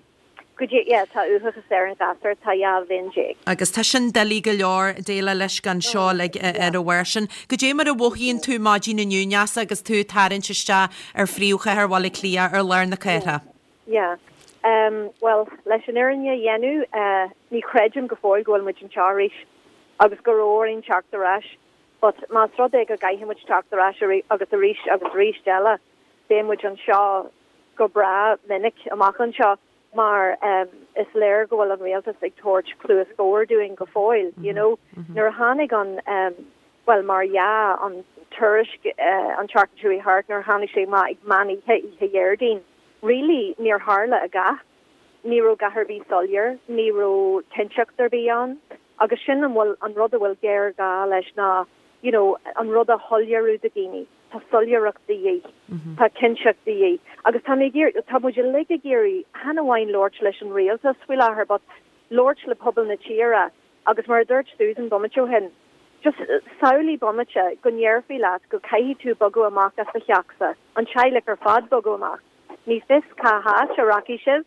Go dtí, yeah, tá uathachas ar an ghasúr, tá dhá bhliain déag. Agus tá sin doiligh go leor déileáil leis gan seo uilig ar a bharr sin. Goidé mar a mhothaíonn tú maidin inniu, Neasa, agus tú ag tarraingt isteach ar phríomhchathair Bhaile Átha Cliath, ar lár na cathrach? Yeah. Em, bhuel, leis an fhírinne a dhéanamh, eh, ní chreidim go fóill go bhfuil muid anseo arís agus go raibh orainn teacht ar ais. But más rud é go gcaithfidh muid teacht ar ais agus arís agus arís eile, beidh muid anseo go breá minic amach anseo mar em, is léir go bhfuil an rialtas ag tabhairt cluas bhodhar dúinn go fóill, you know. Nuair a tháinig an, em, bhuel, mar dhea, an tuairisc, eh, an tseachtain seo chuaigh thart, nuair a tháinig sé amach ag meán oíche, oíche Dhéardaoin, Really, níor tharla a dhath. Ní raibh a dhath ar bith soiléir, ní raibh cinnteacht ar bith ann. Agus sin an bhfuil, an rud a bhfuil géarghá leis ná, you know, an rud a shoiléiriú do dhaoine. Tá soiléireacht de dhíth. Tá cinnteacht de dhíth. Agus tá mé ag iarraidh, tá muid uilig ag iarraidh, chan amháin labhairt leis an rialtas faoi láthair, but labhairt le pobal na tíre. Agus mar a dúirt Susan bomaite ó shin, just samhlaigh bomaite go ndéarfaí leat go gcaithfidh tú bogadh amach as do theachsa, an teaghlach ar fad bogadh amach. Ní fios cá háit a rachaidh sibh.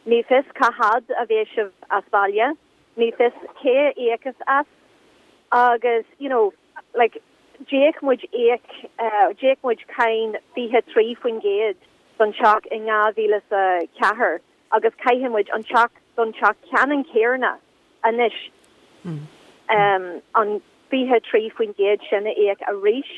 Ní fios cá fhad a bheidh sibh as baile. Ní fios cé a íocfas as. Agus, you know, like, d'íoc muid íoc, d'íoc muid cáin fiche trí faoin gcéad don teach in dhá mhíle is a ceathair agus caithfidh muid an teach don teach ceannann céanna anois an fiche trí faoin gcéad sin a íoc arís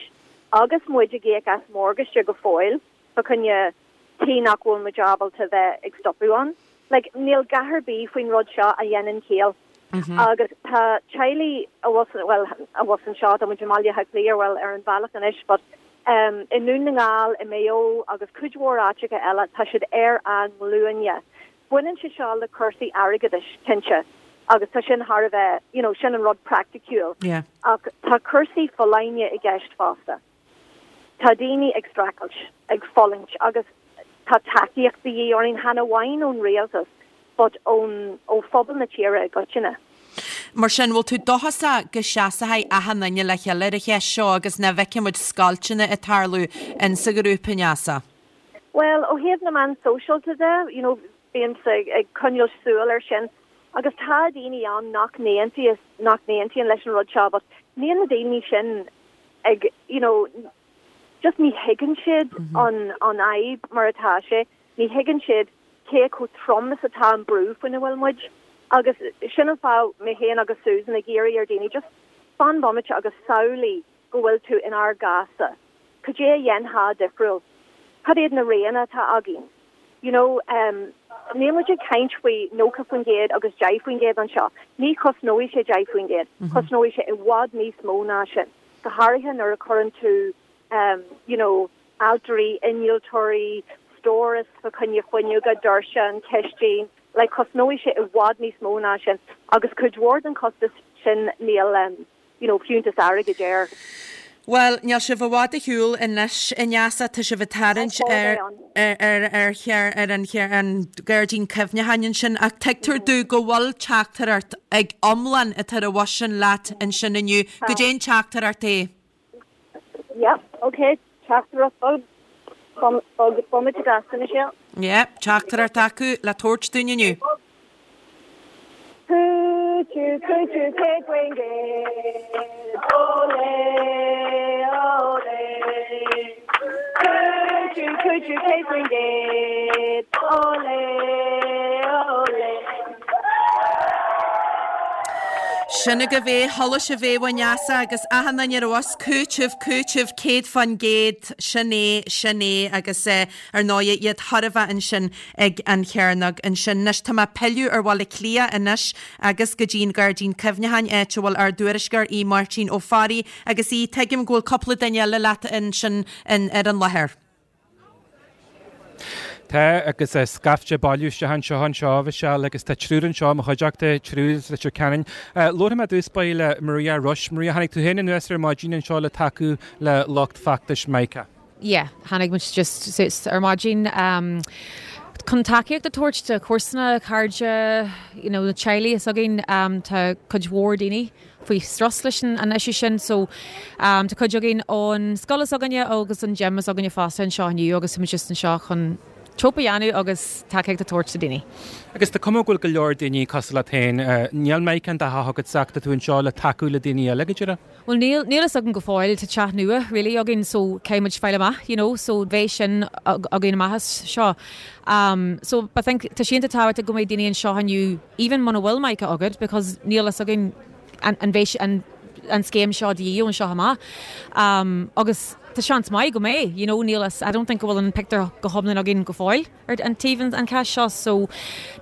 agus muid ag íoc as morgáiste go fóill. Fa choinne tí nach bhfuil muid ábalta bheith ag stopadh ann. Like, níl a dhath ar bith faoin rud seo a dhéanann ciall. Agus tá teaghlaigh abhus, bhuel, abhus anseo, tá muid i mBaile Átha Cliath, bhuel, ar an bhealach anois, but um, i nDún na nGall, i Maigh Eo agus cuid mhór áiteacha eile, tá siad ar a nglúine. Baineann sé seo le cúrsaí airgeadais, cinnte, agus tá sin thar a bheith, you know, sin an rud praiticiúil. Yeah. Ach tá cúrsaí folláine i gceist fosta. Tá daoine ag streachailt, ag fulaingt agus tá tacaíocht de dhíth orainn, chan amháin ón rialtas but ón ó phobal na tíre i gcoitinne. Mar sin, bhfuil tú dóchasach go seasfaidh achan duine le chéile ar an cheist seo agus nach bhfeicfidh muid scoilteanna ag tarlú insa ghrúpa, Neasa? Bhuel, ó thaobh na meán sóisialta de, you know, bímse ag, ag coinneáil súil air sin agus tá daoine ann nach n-aontaíos, nach n-aontaíonn leis an rud seo but níl na daoine sin ag, you know, just ní thuigeann siad an an fhadhb mar atá sé, ní thuigeann siad cé chomh trom is atá an brú faoina bhfuil muid. Agus sin an fáth mé féin agus Susan ag iarraidh ar daoine just fan bomaite agus samhlaigh go bhfuil tú inár gcás-sa. Cad é a dhéanfá difriúil? Cad iad na roghanna atá againn? You know, um, níl muid ag caint faoi nócha faoin gcéad agus deich faoin gcéad anseo. Ní chosnóidh sé deich faoin gcéad. Cosnóidh sé i bhfad níos mó ná sin. Go háirithe nuair a chuireann tú um, you know, ailtirí, innealtóirí, stóras fa choinne fuinneoga, doirse, an chistin, like cosnóidh sé i bhfad níos mó ná sin. Agus cuid mhór den chostas sin níl um, you know, fiúntas airgid air. Bhuel, níl sibh i bhfad ar shiúl anois, a Neasa, tá sibh ag tarraingt ar ar ar chear ar an chear an Gairdín Cuimhneacháin ansin ach tuigtear domh go bhfuil teachtaireacht ag iomlán atá ar an bhus sin leat ansin inniu. Goidé an teachtaireacht é? Yep, okay, teachtaireacht bog, bog, bomaite gasta, Michelle. Yeah, teachtaireacht acu le tabhairt dúinn inniu. Cúitiú, cúitiú, céad faoin gcéad, Olé, olé. Cúitiú, cúitiú, céad faoin gcéad, Olé, olé. Sin agaibh é, chuala sibh é Vanessa agus achan duine ar bhus cúiteamh cúiteamh céad faoin gcéad sin é sin é agus eh, ar ndóigh iad thar a bheith ansin ag an Chearnóg ansin. Anois tá mé ag pilleadh ar Bhaile Átha Cliath anois agus go dtí an Gairdín Cuimhneacháin áit a bhfuil ár dtuairisceoir í Máirtín Ó Fearraigh agus í tuigim go bhfuil cúpla duine eile leat ansin ar an láthair. Tá agus scaifte bailithe anseo anseo Michelle agus tá triúr anseo mo chuideachta triúr Leitir Ceanainn. Labharfaidh mé dtús báire le Maria Rush, Maria tháinig tú féin anuas ar maidin anseo le tacú le lucht feachtais Micah. Yeah, tháinig muid just ar maidin um, chun tacaíocht a thabhairt do chomharsana cairde you know, na teaghlaigh is againn um, tá cuid mhór daoine faoi strus leis an issue sin so um, tá cuid againn ón scoil is againne agus an gym is againne fosta anseo inniu agus muid just anseo chun tropa dhéanamh agus tacaíocht a thabhairt do daoine. Agus tá cuma go bhfuil go leor daoine cosúil leat féin níl Micah in do theach agat ach tá tú anseo le tacú le daoine eile go dtí. Well níl níl a fhios againn go fóill tá teach nua really againn so caithfimid fáil amach you know, so bheidh sin againn amach seo. Um, so I think tá sé an-tábhachtach go mbeidh daoine anseo inniu even muna bhfuil Micah agat because níl a fhios againn an, an bheidh an an scéim seo de an seo amach. Um, agus tá seans maith go mbeidh, you know, níl I don't think go bhfuil an picture go hiomlán againn go fóill ar an taobh an cás seo so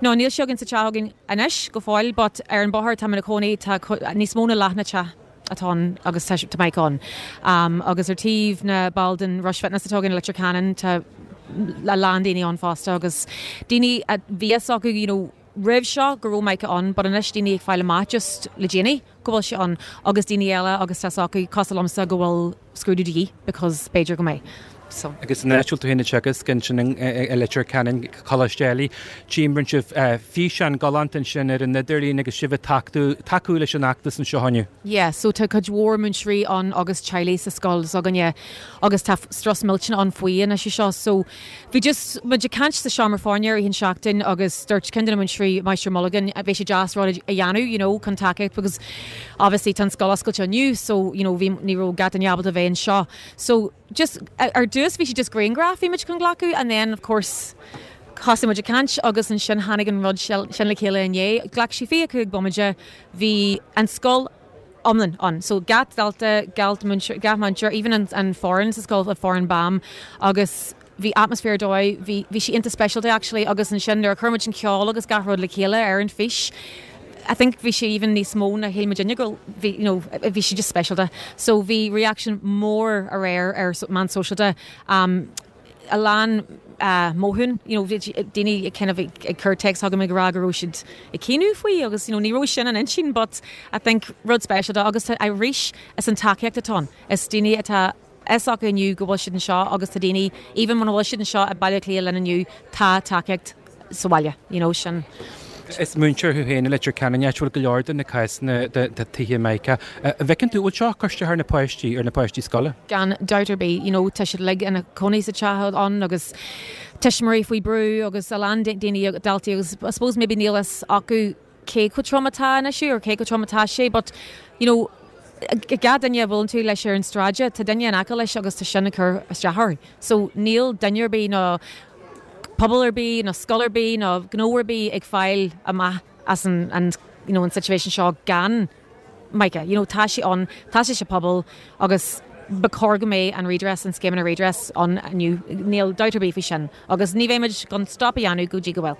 no níl sé againn sa teach againn anois go fóill, but ar an bóthar tá na cónaí tá níos mó ná leath na teach atá agus tá Micah ann. Um, agus ar taobh na ball den Rush Fitness atá in Leitir Ceanainn tá a lán daoine ann fosta agus daoine a bhí acu you know, roimh seo go raibh Micah ann, but anois daoine ag fáil amach just le déanaí go bhfuil sé ann agus daoine eile agus tá acu cosúil liomsa go bhfuil scrúdú de dhíth because b'fhéidir go mbeidh. So. Agus an áit tú féin teagasc sin i Leitir Ceanainn Coláiste Ailigh, Tíimbrinn sibh físeán galánta ansin ar an idirlíon agus sibh tacú leis an fheachtas anseo inniu. Yeah, so tá cuid mhór múinteoirí ann agus teaghlaigh sa scoil s'againne agus tá strus millteanach ann faoi an issue seo. So bhí just muid ag caint sa seomra foirne ar an seachtain agus dúirt ceann de na múinteoirí Máistir Mulligan bhí sé deas rud a dhéanamh, you know, chun tacaíocht because obviously tá an scoil oscailte inniu, so you know, bhí ní raibh gach duine ábalta bheith anseo. So just ar dtús bhí sé just grianghraf bhí muid chun glacadh and then of course thosaigh muid ag caint agus ansin tháinig an rud sin le chéile inné. Ghlac sé fiche cúig bomaite bhí an scoil iomlán ann. So gach dalta gach múinteoir even an, an foireann sa scoil a foireann BAM agus bhí atmaisféar dóigh, bhí bhí sé iontach speisialta actually agus ansin nuair a chuir muid an ceol agus gach rud le chéile ar an fís. I think bhí sé even níos mó ná shíl muid go bhí you know, bhí sé just speisialta. So bhí reaction mór aréir ar meán sóisialta um, a lán uh, mothún you know, daoine kind of ag cur text chugam ag rá go raibh siad ag caoineadh faoi agus you know, ní raibh sin an intinn, but I think rud speisialta agus arís is an tacaíocht atá ann. Is daoine atá is acu inniu go bhfuil siad anseo agus tá daoine even muna bhfuil siad anseo i Baile Átha Cliath linn inniu tá tacaíocht sa bhaile, you know, sin. Is múinteoir thú féin Leitir Ceanainn bhfuil go leor de na cásanna de tithe Micah. Bhfeiceann tú bhfuil seo coiste thar na páistí ar na páistí scoile? Gan dabht ar bith, you know, tá siad uilig ina cónaí sa teach ann agus tuismitheoirí faoi brú agus a lán daoine daltaí agus I suppose maybe níl a fhios acu cé chomh trom atá an issue or cé chomh trom atá sé, but you know, gach duine a bhfuil tú leis ar an stráide tá duine in aice leis agus tá sin ag cur isteach orthu. So níl duine ar bith nó pobal ar bith nó scoil ar bith nó gnó ar bith ag fáil amach as an, an, you know, an situation seo gan Micah. You know, tá sé ann tá sé sa pobal agus ba chóir go mbeadh an redress an scéimeanna redress ann inniu níl dabht ar bith faoi sin agus ní bheimid chun stop a dhéanamh go dtí go bhfuil.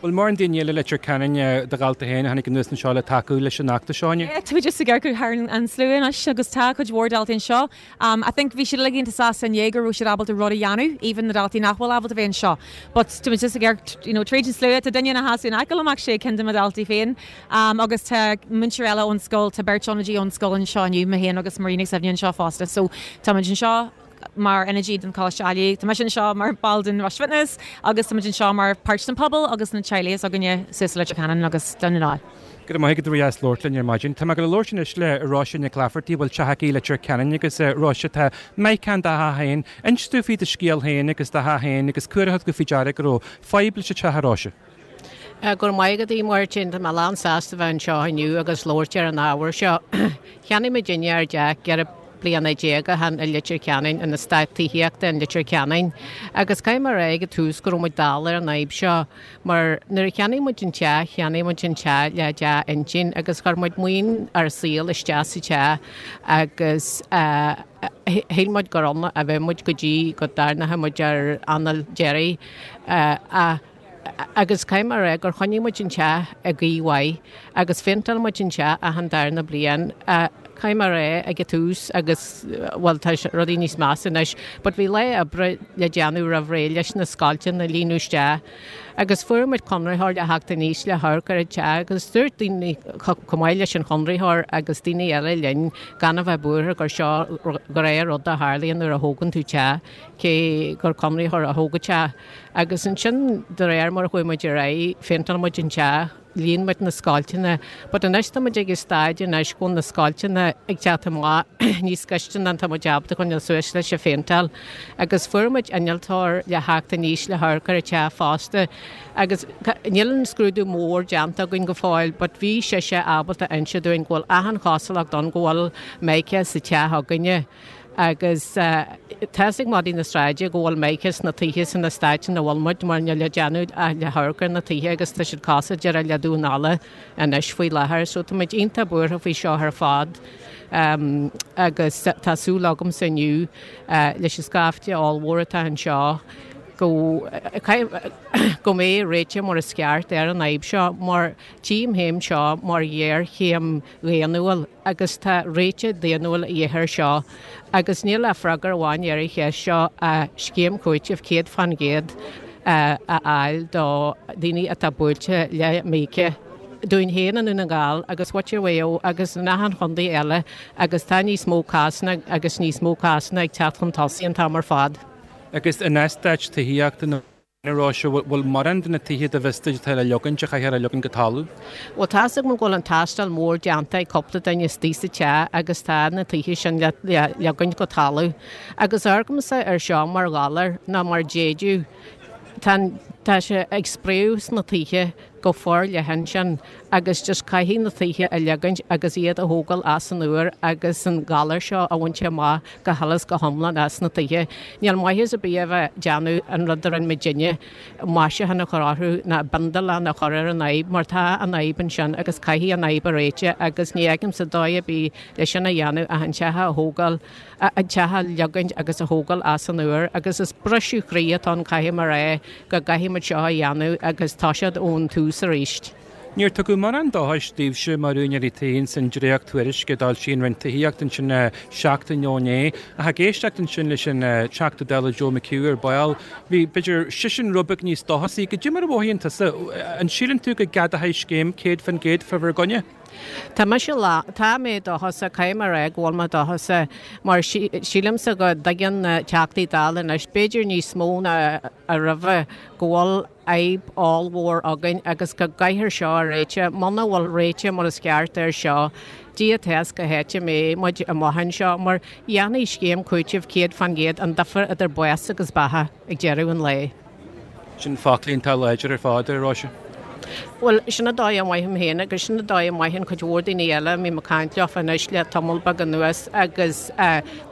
Bhfuil mórán daoine eile Leitir Ceanainn do dhalta féin tháinig anuas anseo le tacú leis an fheachtas seo inniu? Tá just ag amharc thar an slua anois agus tá cuid mhór daltaí anseo. Um, I think bhí siad uilig iontach sásta inné go raibh siad ábalta rud a dhéanamh, even na daltaí nach bhfuil ábalta bheith anseo. But tá just ag amharc you know, tríd an slua tá duine ina sheasamh in aice liom sé ceann de mo dhaltaí féin. Um, agus tá múinteoir eile ón scoil tá beirt ionadaí ón scoil anseo inniu mé féin agus Marina Sevne anseo fosta. So tá muid anseo mar ionadaí den Choláiste Ailigh Tá anseo mar ball den Rush Fitness agus tá anseo mar páirt den pobal agus na teaghlaigh againne suas Leitir Ceanainn agus Dún na nGall. Go maith go as labhairt linn ar maidin. Tá go leor sin le Róise Nic Laifeartaigh bhfuil teach aici Leitir Ceanainn agus Róise tá Micah in do theach féin, Inis dúinn faoi do scéal féin agus do theach féin agus cuairthe go faoi deara go raibh fadhb leis an teach Róise. Gur maith go dtí mar sin tá mé lán sásta bheith anseo inniu agus labhairt ar an ábhar seo. Cheannaigh muidinne ár dteach ceithre bliana déag ó shin i Leitir Ceanainn in eastát tithíochta in Leitir Ceanainn agus caithfidh mé a rá ag an tús go raibh muid dall ar an fhadhb seo mar nuair a cheannaigh muid an teach, cheannaigh muid an teach le dea-intinn agus chuir muid maoin ár saoil isteach sa teach agus shíl muid gur ann a bheadh muid go dtí go dtarraingeoidh muid ár anáil deiridh ach Agus caithfidh mé a rá gur choinnigh muid an teach i gcaoi mhaith agus phéinteáil muid an teach achan darna bliain. Caithfidh mé a rá ag an tús agus, bhuel tá rudaí níos measa anois, but bhí lá oibre le déanamh roimh ré leis na scoilteanna a líonadh isteach agus fuair muid conraitheoir le theacht aníos le hamharc ar an teach agus dúirt daoine chomh maith leis an chonraitheoir agus daoine eile linn gan a bheith buartha gur seo gnáthrud a tharlaíonn nuair a thógann tú teach, cé gur conraitheoir a thóg an teach. Agus ansin, de réir mar a chuaigh muid ar aghaidh, phéinteáil muid an teach, líon muid na scoilteanna, but anois tá muid ag an staid anois go bhfuil na scoilteanna ag teacht amach níos gaiste ná tá muid ábalta coinneáil suas leis an phéinteáil. Agus fuair muid innealtóir le theacht aníos le hamharc ar an teach fosta. Agus níl an scrúdú mór déanta againn go fóill, but bhí sise ábalta inse dúinn go bhfuil achan chosúlacht ann go bhfuil mica sa teach againne. Agus tá fhios ag madaí na sráide go bhfuil mica sna tithe san eastát ina bhfuil muid mar níl le déanamh ach le hamharc ar na tithe agus tá siad cosúil díreach le damhán alla anois faoi láthair. So tá muid iontach buartha faoi seo ar fad agus tá súil agamsa inniu leis an scaifte ollmhór atá anseo go go mbeidh réiteach mar is ceart ar an fhadhb seo mar tchím féin seo mar ghéarchéim dhaonnúil agus tá réiteach daonnúil a dhíth air seo agus níl ach freagra amháin ar an cheist seo ach scéim chúitimh céad fán gcéad a fháil do dhaoine atá buailte le míoca dúinn féin i nDún na nGall agus muintir Mhaigh Eo agus in achan chontae eile agus tá níos mó cásanna agus níos mó cásanna ag teacht chun tosaigh an t-am ar fad. Agus in eastáit tithíochta na Róise, bhfuil mórán de na tithe do bhfios duit atá le leogaint a chaithfear a leogaint go talamh? Bhuel, tá's agam go bhfuil an tástáil mhór déanta ag cúpla duine istigh sa teach agus tá na tithe sin le leogaint go talamh. Agus amharcaimse air seo mar ghalar nó mar déideadh. Tá, tá sé ag spréadh sna tithe go forleathan sin agus just caithfidh na tithe a leogaint agus iad a thógáil as an úr agus an galar seo a bhaint amach go huile is go hiomlán as na tithe. Níl maitheas ar bith a bheith déanamh an rud a rinne muidinne, maisiúchán a chur orthu ná bindealán a chur ar an fhadhb mar tá an fhadhb ansin agus caithfidh an fhadhb a réiteach agus ní fheicimse dóigh ar bith le sin a dhéanamh ach an teach a thógáil an teach a leogaint agus a thógáil as an úr agus is briseadh croí atá ann caithfidh mé a rá go gcaithfidh muid seo a dhéanamh agus toiseacht ón tús arís. Níor tugadh mórán dóchais daoibhse mar úinéirí tí ins an dréacht-tuairisc a d'fhoilsigh an Roinn Tithíochta ansin seachtain ó inné. Ach ag éisteacht ansin leis an Teachta Dála Joe McHugh ar ball, bhí, b'fhéidir, seisean rud beag níos dóchasaí. Goidé mar a mhothaíonn tusa? An síleann tú go gceadófaí scéim céad faoin gcéad fá bhur gcoinne? Tá mise lá, tá mé dóchasach, caithfidh mé a rá go bhfuil mé dóchasach mar sílimse go dtuigeann na Teachtaí Dála anois, b'fhéidir níos mó ná a roimhe, go bhfuil fhadhb ollmhór againn agus go gcaithfear seo a réiteach. Muna bhfuil réiteach mar is ceart air seo, Dia atá fhios cá háit a mbeidh muid amach anseo mar dhéanfaidh scéim cúitimh céad fán gcéad an difear idir bás agus beatha ag deireadh an lae. Sin foclaí iontach láidir ar fad, a Róise. Bhuel, sin an dóigh a mothaím féin agus sin an dóigh a mothaíonn cuid mhór daoine eile a mbím ag caint leofa anois le tamall beag anuas agus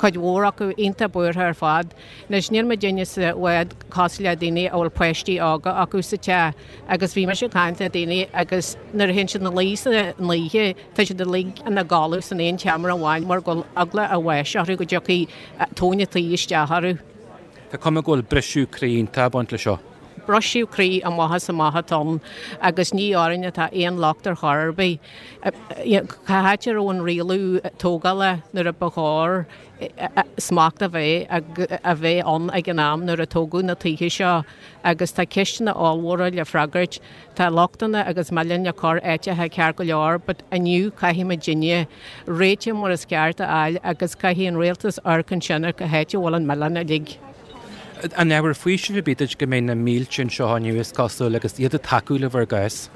cuid mhór acu iontach buartha ar fad. Anois, níl muidinne sa bhád cosúil le daoine a bhfuil páistí óga acu sa teach agus bhí mise ag caint le daoine agus nuair a théann siad ina luí san oíche, tá siad uilig ina gcodladh san aon tseomra amháin mar go bhfuil eagla a bháis orthu go dtiocfaidh tóin an tí isteach orthu. Tá cuma go bhfuil briseadh croí iontach ag baint leis seo. Briseadh croí amach is amach atá ann agus ní orainn atá aon locht ar chor ar bith. Cá háit a raibh an rialú tógála nuair a ba chóir smacht a bheith a bheith ann ag an am nuair a tógadh na tithe seo agus tá ceisteanna ollmhóra le freagairt. Tá lochtanna agus milleán le cur áiteacha ceart go leor but inniu caithfidh muidinne réiteach mar is ceart a fháil agus caithfidh an rialtas amharc ansin ar cá háit a bhfuil an milleán uilig. An ábhar faoisimh ar bith duit go mbeidh na mílte anseo inniu is cosúil agus iad ag tacú le bhur gcás?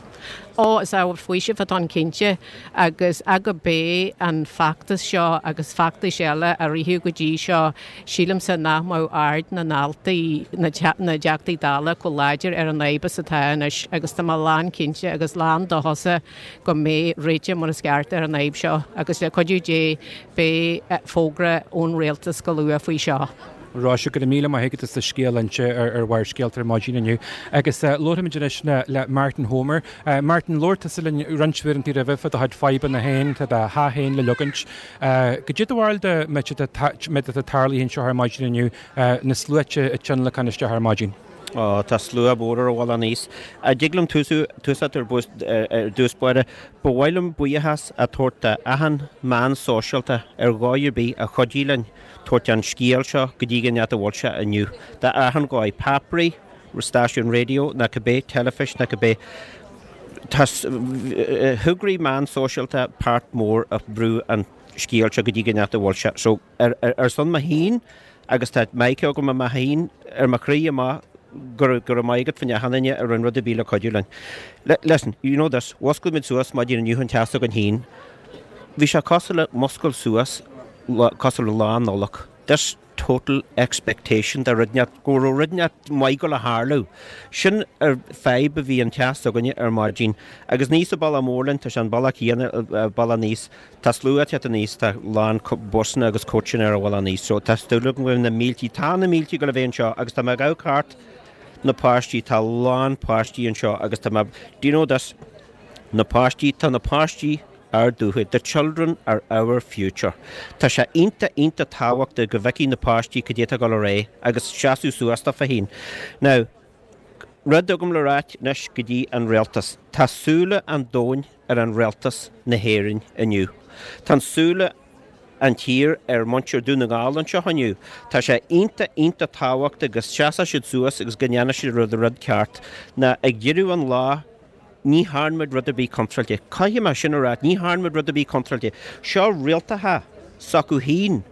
Ó, is ábhar faoisimh atá ann cinnte agus gurb é an feachtas seo agus feachtais eile a ritheadh go dtí seo, sílimse nach mbeadh aird na ndaltaí, na dTeachtaí Dála chomh láidir ar an fhadhb is atá anois agus tá mé lánchinnte agus lán-dóchasach go mbeidh réiteach mar is ceart ar an fhadhb seo agus le cuidiú Dé beidh fógra ón Rialtas go luath faoi seo. Róise, go raibh míle maith agat as do scéal a inse ar Bharrscéalta ar maidin inniu. Agus labharfaimid anois le Martin Homer. Martin, labhair tusa linn roinnt uaireanta roimhe fá do chuid fadhbanna féin, tá do theach féin le leogaint. Goidé do bharúil de méid atá tarlaithe anseo ar maidin inniu, na sluaite ag tionlacan isteach ar maidin? Ó, tá slua mór ar a bhealach aníos. An dtig liom tús ar dtús báire? Ba mhaith liom buíochas a thabhairt do achan meán sóisialta ar dhóigh ar bith a chuidigh linn tabhairt an scéal seo go dtí an áit a bhfuil sé inniu. Do achan dhóigh, páipéirí, stáisiún raidió ná cibé, teilifís ná cibé. Tá thograí meán sóisialta páirt mór a bhrú an scéal seo go dtí an áit a bhfuil sé. So, ar son mo féin, agus tá Mike agam i mo féin ar mo chroí amach go raibh maith agat faoin achan duine a rinne rud ar bith le cuidiú linn. Listen, you know this, mhuscail muid suas maidin inniu an teach s'againn féin. Bhí sé cosúil le muscail suas cosúil le Lá Nollag. This total expectation de rud inteacht, go raibh rud inteacht maith ag gabháil a tharlú. Sin ar fadhb a bhí an teach s'againne ar maidin. Agus ní sa bealach mór linn, tá sé an bealach céanna, bealach aníos. Tá slua ag teacht aníos, tá lán busanna agus coaching ar a bhealach aníos. So tá súil agam go bhfuil na míltí, tá na míltí ag gabháil a bheith anseo agus tá mé ag amharc thart na páistí, tá lán páistí anseo agus tá mé, do you know this, na páistí, tá na páistí ár dtodhchaí, the children are our future. Tá sé iontach, iontach tábhachtach go bhfeicfidh na páistí cad é atá ag dul ar aghaidh agus seasamh suas daofa féin. Now, rud agam le ráit anois go dtí an rialtas. Tá súile an domhain ar an rialtas na hÉireann inniu. Tá an súile an tír ar muintir Dún na nGall anseo inniu. Tá sé iontach, iontach tábhachtach go seasfaidh siad suas agus go ndéanfaidh siad rud, rud ceart. Ná ag deireadh an lá, ní thearn muid rud ar bith contráilte. Caithfidh mé sin a rá, ní thearn muid rud ar bith contráilte. Seo rialtacha s'acu féin.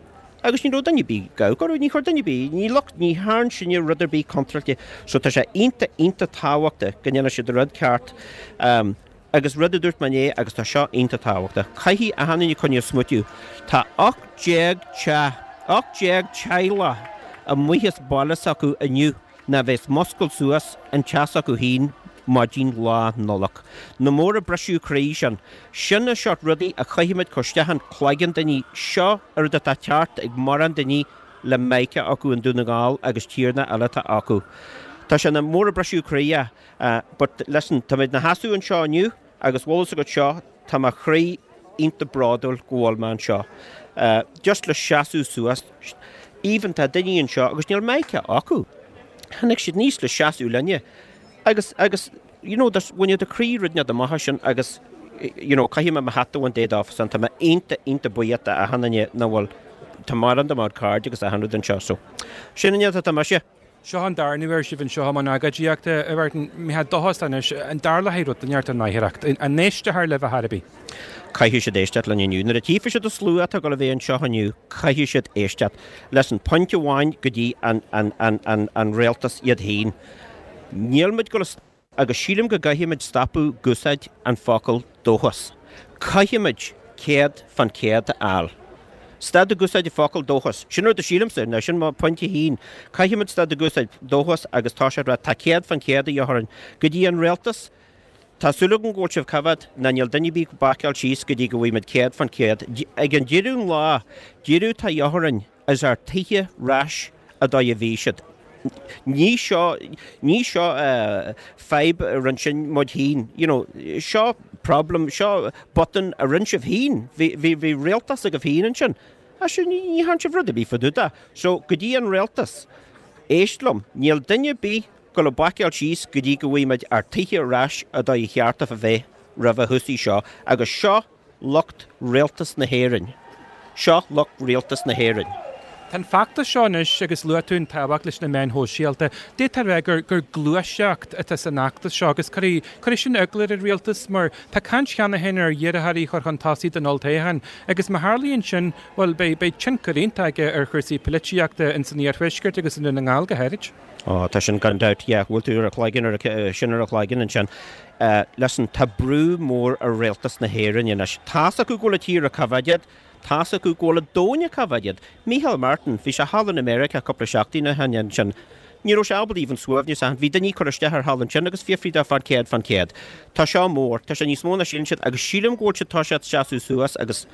Agus ní raibh duine ar bith ag amharc orthu, ní chuir duine ar bith, ní look, ní thearn sinne rud ar bith contráilte. So tá sé iontach, iontach tábhachtach go ndéanfaidh siad an rud ceart. Um, agus rud a dúirt mé inné, agus tá seo iontach tábhachtach, caithfidh achan duine coinneáil smaoitiú. Tá ocht déag teach, ocht déag teaghlach amuigh as baile s'acu inniu ná bheas muscailt suas an teach s'acu féin maidin Lá Nollag. Nach mór an briseadh croí sin. Sin na seort rudaí a chaithfimid cur isteach in cloigeann daoine. Seo an rud atá ceart ag mórán daoine le Micah acu in Dún na nGall agus tíortha eile atá acu. Tá sé ina mór an briseadh croí é. But listen, táimid 'na sheasamh anseo inniu agus bhfuil fhios agat seo, tá mo chroí iontach bródúil go bhfuil mé anseo. Just le seasamh suas. Even tá daoine anseo agus níl Micah acu. Tháinig siad aníos le seasamh linne. Agus, agus, you know, there's, when you're do chroí rud inteacht amach as sin agus, you know, caithfidh mé mo hat a bhaint de dófa san, tá mé iontach, iontach buíoch d'achan duine nach bhfuil, tá mórán de mo chairde agus achan rud anseo, so, sin an áit atá mise. Seo an darna huair sibh anseo i mbun agóidíochta, a Mhartin, mbeifeá dóchasach anois, an dtarlóidh rud inteacht i ndáiríreacht, an éistfear libh ar chor ar bith? Caithfidh siad éisteacht linn inniu. Nuair a tchífidh siad an slua atá ag dul a bheith anseo inniu, caithfidh siad éisteacht. Listen, pointe amháin go dtí an, an, an, an, an rialtas iad féin. Níl muid ag dul agus sílim go gcaithfimid stopadh ag úsáid an focal dóchas. Caithfimid céad fan céad a fháil. Stad ag úsáid an focal dóchas. Sin rud a sílimse, ná sin mo pointe féin. Caithfimid stad ag úsáid dóchas agus tá sé rá tá céad fan céad a dhíth orainn. Go dtí an rialtas, tá súil agam go bhfuil sibh coimhéad ná níl duine ar bith ag bacáil síos go dtí go bhfaighimid céad fan céad. Ag an deireadh an lá, deireadh tá dhíth orainn is ár tithe ar ais an dóigh a bhí siad. Ní seo, ní seo fadhb a rinne sin muid féin, you know, seo problem, seo botún a rinne sibh féin, bhí, bhí, bhí rialtas agaibh féin ansin. Á sin, ní, ní thearn sibh rud ar bith fá dtaobh de. So, go dtí an rialtas, éist liom, níl duine ar bith ag dul a bacáil síos go dtí go bhfaighimid ár tithe ar ais an dóigh a cheart a bheith roimh a thosaigh seo, agus seo lucht rialtas na hÉireann. Seo lucht rialtas na hÉireann. Tá an feachtas seo anois agus luaigh tú an tábhacht leis na meáin shóisialta. D'fhéadfá a rá gur gur gluaiseacht atá san fheachtas seo agus cuirfidh cuirfidh sin eagla ar an rialtas mar tá caint cheana féin ar iarrthóirí a chur chun tosaigh don olltoghchán agus má tharlaíonn sin, bhuel, beidh beidh tionchar iontach aige ar chúrsaí polaitíochta in san iarthuaisceart agus i nDún na nGall go háirid. Ó, tá sin gan dabht, yeah, bhuail tú ar a chloigeann ar a sin ar a chloigeann ansin. Listen, tá brú mór ar rialtas na hÉireann anois. Tá's acu go bhfuil an tír ar coimhéad, Tá's acu go bhfuil an domhan ag coimhéad iad. Micheál Martin, bhí sé thall in America cúpla seachtain ó shin ansin. Ní raibh sé ábalta even suaimhneas a Bhí daoine ag cur isteach air thall ansin agus fiafraí de fán céad fán céad. Tá seo mór, tá sé níos mó ná síleann siad agus sílim go bhfuil siad tá siad seasamh suas agus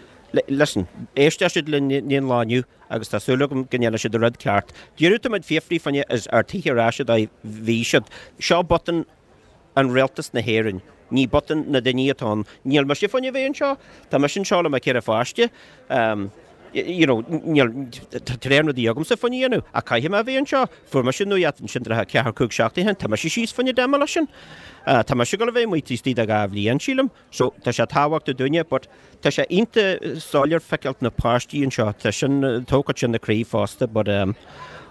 listen, éistfidh siad linn an lá inniu agus tá súil agam go ndéanfaidh siad an rud ceart. Deireadh tá muid fiafraí fáinne is ár tithe ar ais a bhí siad. Seo botún an rialtas na hÉireann. Ní botún na daoine atá ann. Níl mise fá choinne bheith anseo. Tá mise anseo le mo cheithre pháiste. You know, níl, tá tréan rudaí agamsa fá choinne dhéanamh, ach caithfidh mé a bheith anseo. Fuair mise nuaíocht ansin tríocha ceathair, cúig seachtaine ó shin. Tá mise síos fá choinne demolition. Tá mise ag dul a bheith amuigh taobh istigh de dhá bhliain, sílim. So, tá sé tábhachtach dúinne, but tá sé iontach soiléir feiceáilt na páistí anseo. Tá sin, tógfaidh sin na croí fosta, but um,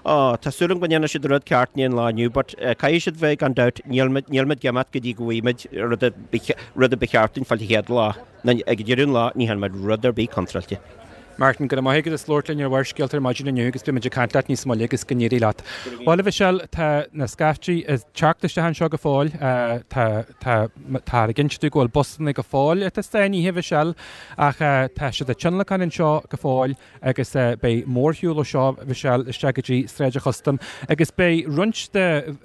Ó, tá súil agam go ndéanfaidh siad an rud ceart inniu an lá inniu, but caithfidh siad bheith gan dabht, níl muid, níl muid ag imeacht go dtí go bhfaighidh muid rud a, rud a ba cheart dúinn fáil an chéad lá. Ag deireadh an lá, ní dhearna muid rud ar bith contráilte. Martin, go raibh maith agat as labhairt linn ar Bharrscéalta ar maidin inniu agus beidh muid ag caint leat níos moille agus go n-éirí leat. Bhuel, a Mhichelle, tá na scaiftí ag teacht isteach anseo go fóill. Tá, tá, tá ag inse go bhfuil busanna go fóill atá sáinnithe, a Mhichelle, ach tá siad ag tionlacan anseo go fóill. agus beidh mórshiúl ó seo, Michelle, isteach go dtí Sráid an Chustaim agus beidh roinnt de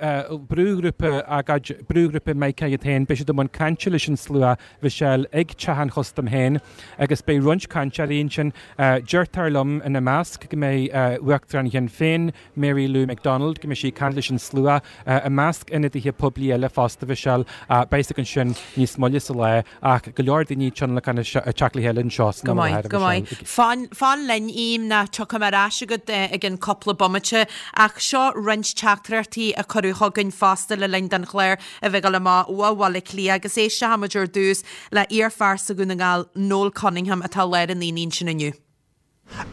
brúghrúpa agóid, brúghrúpa Micah iad féin, beidh siad i mbun cainte leis an slua, Michelle, ag Teach an Chustaim féin agus beidh roinnt cainteoirí ansin. Deirtear liom ina measc go mbeidh Uachtarán Shinn Féin, Mary Lou McDonald, go mbeidh sí ag caint leis an slua, i measc ionadaithe poiblí eile fosta, Michelle. Beidh a fhios againn sin níos moille sa lá ach go leor daoine ag tionlacan ag teacht le chéile anseo san Go am i maith, láthair, go maith. Michelle. Fan, fan linn, Aoim, ná tiocfaidh mé ar ais chugat i gcionn cúpla bomaite. Ach seo roinnt teachtaireachtaí a cuireadh chugainn fosta le linn don chlár a bheith ag dul amach ó Bhaile Átha Cliath agus éistfidh muid ar dtús le iarphearsa Dhún na nGall, Noel Cunningham, atá i lár an aonaigh ansin inniu.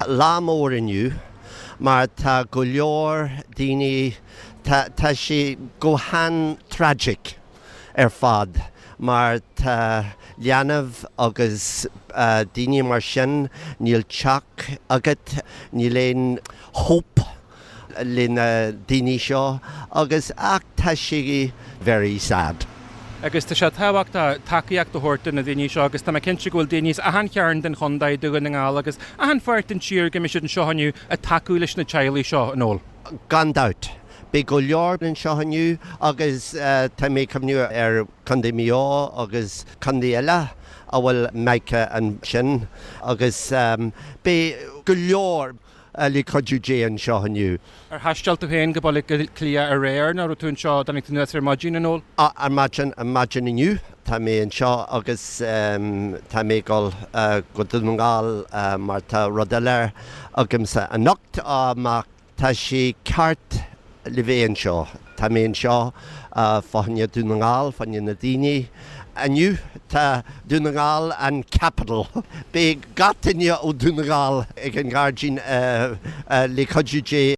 Lá mór inniu mar tá go leor daoine, tá, tá sé go han-tragic ar fad mar tá leanbh agus daoine mar sin, níl teach agat, níl aon hope le na daoine seo agus ach tá sé very sad. Agus tá sé tábhachtach tacaíocht a thabhairt do na daoine seo agus tá mé cinnte go bhfuil daoine as achan chearn den chontae, Dún na nGall agus achan pháirt den tír go mbeidh siad anseo inniu ag tacú leis na teaghlaigh seo, a Noel. Gan dabht. Beidh go leor anseo inniu agus tá mé ag cuimhniú ar Contae Mhaigh Eo agus contae eile a bhfuil Micah ansin agus beidh go leor le cuidiú Dé anseo inniu. Ar thaistil tú féin go Baile Átha Cliath aréir nó raibh tú anseo, dtáinig tú anuas ar maidin, a Noel? Ar maidin, ar maidin inniu tá mé anseo agus tá mé ag dul go Dún na nGall mar tá rud eile agamsa anocht ach tá sé ceart le bheith anseo. Tá mé anseo fá choinne Dún na nGall, fá choinne na daoine. Inniu tá Dún na nGall an capital. Beidh gach duine ó Dún na nGall ag an ngairdín le cuidiú Dé.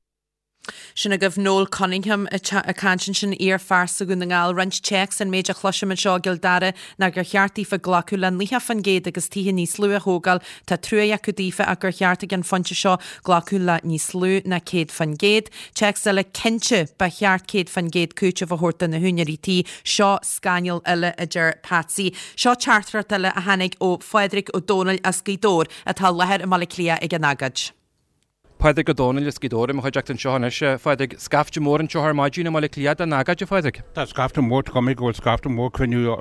Sin agaibh Noel Cunningham ag caint ansin, iarphearsa Dhún na nGall. Roinnt téacs an méid a chloisim anseo i gCill Dara ná gur cheart daofa glacadh le naocha faoin gcéad agus tithe níos lú a thógáil. Tá trua acu daofa ach gur cheart ag an phointe seo glacadh le níos lú ná céad faoin gcéad. Téacs eile, Cinnte, ba cheart céad faoin gcéad cúiteamh a thabhairt do na húinéirí tí. Seo scannal eile, a deir Patsy. Seo teachtaireacht eile a tháinig ó Phádraig Ó Dónaill as Gaoth Dobhair atá i láthair i mBaile Átha Cliath ag an agóid. Pádraig Ó Dónaill as Gaoth Dobhair i mo chuideachta anseo anois. A Phádraig, scaifte mór anseo ar maidin i mBaile Átha Cliath don agóid, a Phádraig. Tá scaifte mór, tá cuma go bhfuil scaifte mór cruinniú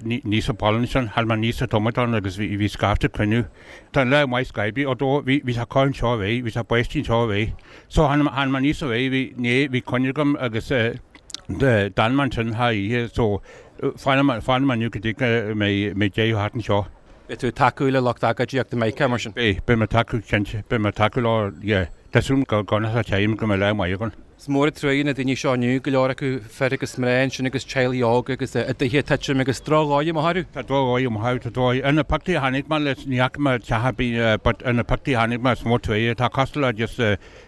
níos sa bhaile ansin. Tháinig mé aníos sa tamall ann agus bhí bhí scaifte cruinniú. Tá an lá maith scaipthe, although bhí bhí sé cur anseo aréir, bhí sé báistí anseo aréir. So tháinig tháinig mé aníos aréir, bhí né bhí coinne agam agus d'fhan mé ansin thar oíche so fanfaidh mé fanfaidh mé inniu go dtí go mbeidh mbeidh deireadh thart anseo. Beidh tú ag tacú le lucht agóidíochta Micah, mar sin? Beidh, beidh mé ag tacú, cinnte, beidh mé ag tacú leo, yeah, Tá súil agam go gcoinneoidh sé tirim go mbeidh lá maith againn. Is mór an truaighe na daoine seo inniu, go leor acu fir agus mná ansin agus teaghlaigh óga agus a dtithe ag titim agus drochdhóigh amach orthu. Tá drochdhóigh amach orthu, tá dóigh. Ar na pictiúirí a chonaic mé leis, ní fhaca mé teach ar bith but ar na pictiúirí a chonaic mé is mór truaighe. Tá cosúil le just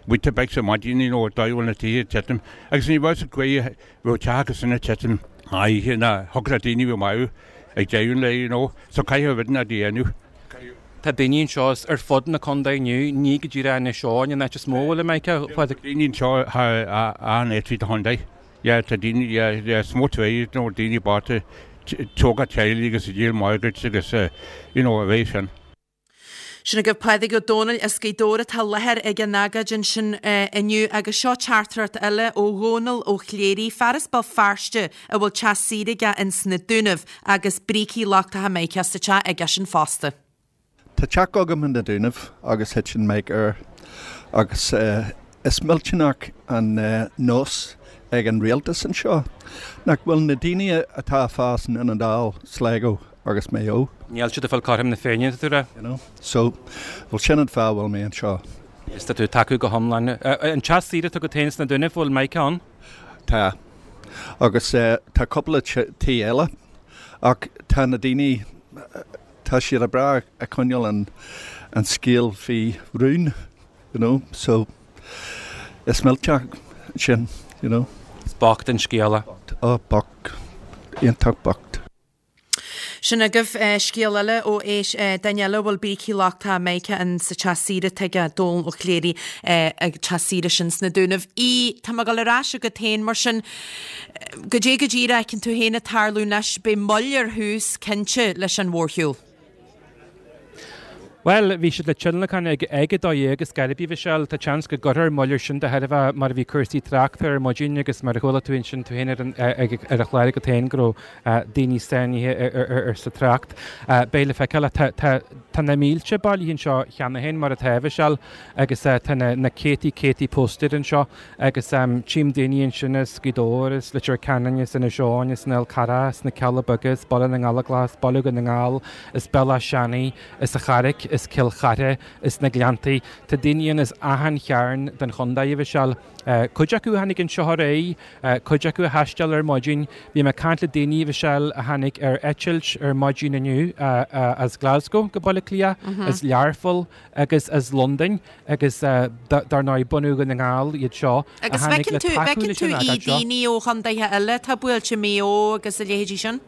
Weetabix ar maidin, you know, dóigh a bhfuil na tithe ag titim. Agus ní raibh sa gcaoi a raibh teach acu sin ag titim oíche ná thiocfadh le daoine a bheith maith ag deireadh an lae, you know. So caithfidh rud inteacht a dhéanamh. Tá daoine anseo ar fud na contae inniu, ní go díreach Inis Eoghain an áit is mó a bhfuil an mica, a Phádraig. Daoine anseo achan áit tríd an chontae. Yeah, tá daoine, yeah, yeah, is mór truaighe, you know, daoine bochta, tógáil teaghlaigh agus ag díol mortgage agus, you know, a bheith sin. Sin agaibh Pádraig Ó Dónaill as Gaoth Dobhair atá i láthair ag an agóid ansin inniu agus seo teachtaireacht eile ó Dhónall Ó Cléirigh, fear as Béal Feirste a bhfuil teach saoire aige ins na Dúnaibh agus brící lochtacha mica sa teach aigesean fosta. Tá teach agam in na Dúnaibh agus thit an mica air agus is millteanach an nós ag an rialtas anseo nach bhfuil na daoine atá ag fás in Dún na nGall, Sligo agus Maigh Eo. Níl siad ag fáil cothrom na Féinne, tá tú a rá? You know. So, bhuel sin an fáth a bhfuil mé anseo. Is tá tú ag tacú go hiomlán. An teach saoire atá agat féin sna Dúnaibh, bhfuil mica ann? Tá. Agus tá cúpla tí eile ach tá na daoine, tá siad go breá ag coinneáil an an scéal faoi rún, you know, so is millteach sin, you know. Is bocht an scéal é. Oh, bocht. Iontach bocht. Sin agaibh scéal eile ó éis duine eile a bhfuil brící lochtacha mica in sa teach saoire atá aige, Dónal Ó Cléirigh, ag teach saoire sin sna Dúnaibh. Aodh, tá mé ag dul ar ais chugat féin mar sin, goidé go díreach a fheiceann tú féin ag tarlú anois, beidh moill ar thús, cinnte, leis an mhórshiúl. Bhuel, bhí siad le tionlacan ag ag a dó dhéag ar scor ar bith, a Mhichelle. Tá seans go gcuirfear moill air sin de thairbhe mar a bhí cúrsaí tráchta ar maidin agus mar a chuala tú ansin tú féin ar an ar an chlár agat féin go raibh daoine sáinnithe ar sa trácht. Beidh le feiceáil. Tá tá tá na mílte bailithe anseo cheana féin mar atá, a Mhichelle, agus tá na na céadtaí céadtaí póstaer anseo agus tchím daoine ansin as Gaoth Dobhair, as Leitir Ceanainn, as Inis Eoghain, as an Fhál Carrach, as na Cealla Beaga, as Baile na nGallóglach, as Baile Dhún na nGall, as Béal Átha Seanaidh, as an Charraic, as Cill Chartha, as na Gleanntaí. Tá daoine ann as achan chearn den chontae, a Mhichelle. Cuid acu a tháinig anseo aréir, cuid acu a thaisteal ar maidin. Bhí mé ag caint le daoine, a Mhichelle, a tháinig ar eitilt ar maidin inniu as Glasgow go Baile Átha Cliath, as Learpholl agus as Londain agus dar ndóigh bunadh Dhún na nGall iad seo a tháinig le tacú leis an agóid seo. Agus feiceann tú daoine ó chontaetha eile atá buailte, Maigh Eo agus a leithéidí sin?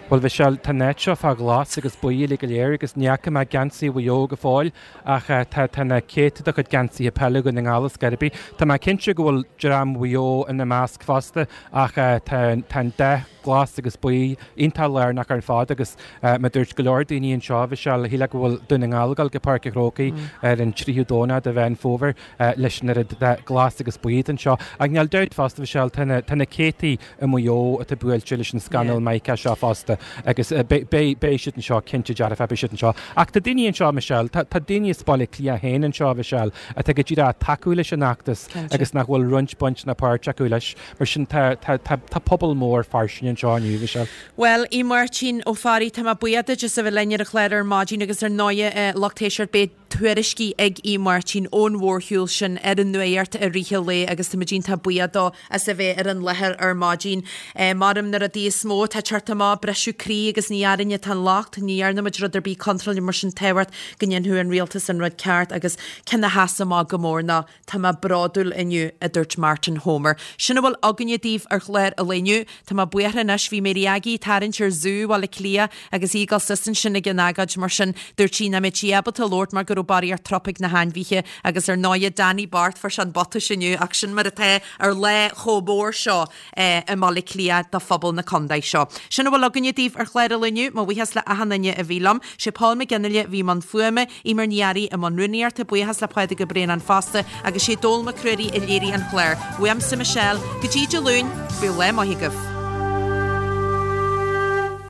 Bhuel, a Mhichelle, tá an áit seo fá ghlas agus buí uilig go léir agus ní fhaca mé geansaí Mhaigh Eo go fóill ach tá tá na céadta de chuid geansaithe peile Dhún na nGall ar scor ar bith. Tá mé cinnte go bhfuil dream Mhaigh Eo ina measc fosta ach tá tá an dath glas agus buí iontach lárnach ar fad agus mar a dúirt go leor daoine anseo, a Mhichelle, shílfeá go bhfuil Dún na nGall ag dul go Páirc an Chrócaigh ar an tríú Domhnach de Mheán Fómhair leis an oiread dath glas agus buí atá anseo. Ach níl dabht fosta, a Mhichelle, tá na tá na céadtaí i Maigh Eo atá buailte leis an scannal mica seo fosta agus beidh siad anseo, cinnte dearfa beidh siad anseo. Ach tá daoine anseo, Michelle, tá daoine as Baile Átha Cliath féin anseo, Michelle, atá go díreach ag tacú leis an fheachtas agus nach bhfuil roinnt baint ná páirt acu leis. Mar sin tá tá pobal mór fairsing anseo inniu, Michelle. Bhuel, a Mháirtín Ó Fearraigh, tá mé buíoch duit as a bheith linn ar an chlár ar maidin agus ar ndóighe lucht éisteachta beidh tuairiscí ag Aodh Máirtín ón mhórshiúl sin ar an nuacht i rith an lae agus táimid iontach buíoch dó as a bheith ar an láthair ar maidin. Maram na rudaí is mó atá ag teacht amach, briseadh croí agus ní orainne atá an locht, ní dhearna muid rud ar bith contráilte mar sin tábhacht go ndéanfadh an rialtas an rud ceart agus ceann a sheas amach go mór ná Tá mé bródúil inniu, a dúirt Martin Homer. Sin a bhfuil againne daoibh ar chlár an lae inniu. Tá mé buartha anois, bhí Mary Aggie ag tarraingt ar Zú Bhaile Átha Cliath agus í ag dul suas ansin ag an agóid mar sin dúirt sí nach mbeadh sí ábalta labhairt mar go raibh barraíocht trup ag na hainmhithe agus ar ndóighe Danny bocht fuair sé an bhuatais inniu ach sin mar atá ar lá chomh mór seo i mBaile Átha Cliath do phobal na contae seo. Sin a bhfuil againne daoibh ar chlár an lae inniu. Mo bhuíochas le achan duine a bhí liom. Sé Paul McGinley a bhí i mbun fuaime, Eimear Ní Fhearraigh i mbun rúnaíochta, buíochas le Pádraig Ó Braonáin fosta agus sé Dónall Mac Ruairí a léirigh an clár. Uaimse Michelle, go dtí Dé Luain, bíodh lá maith agaibh.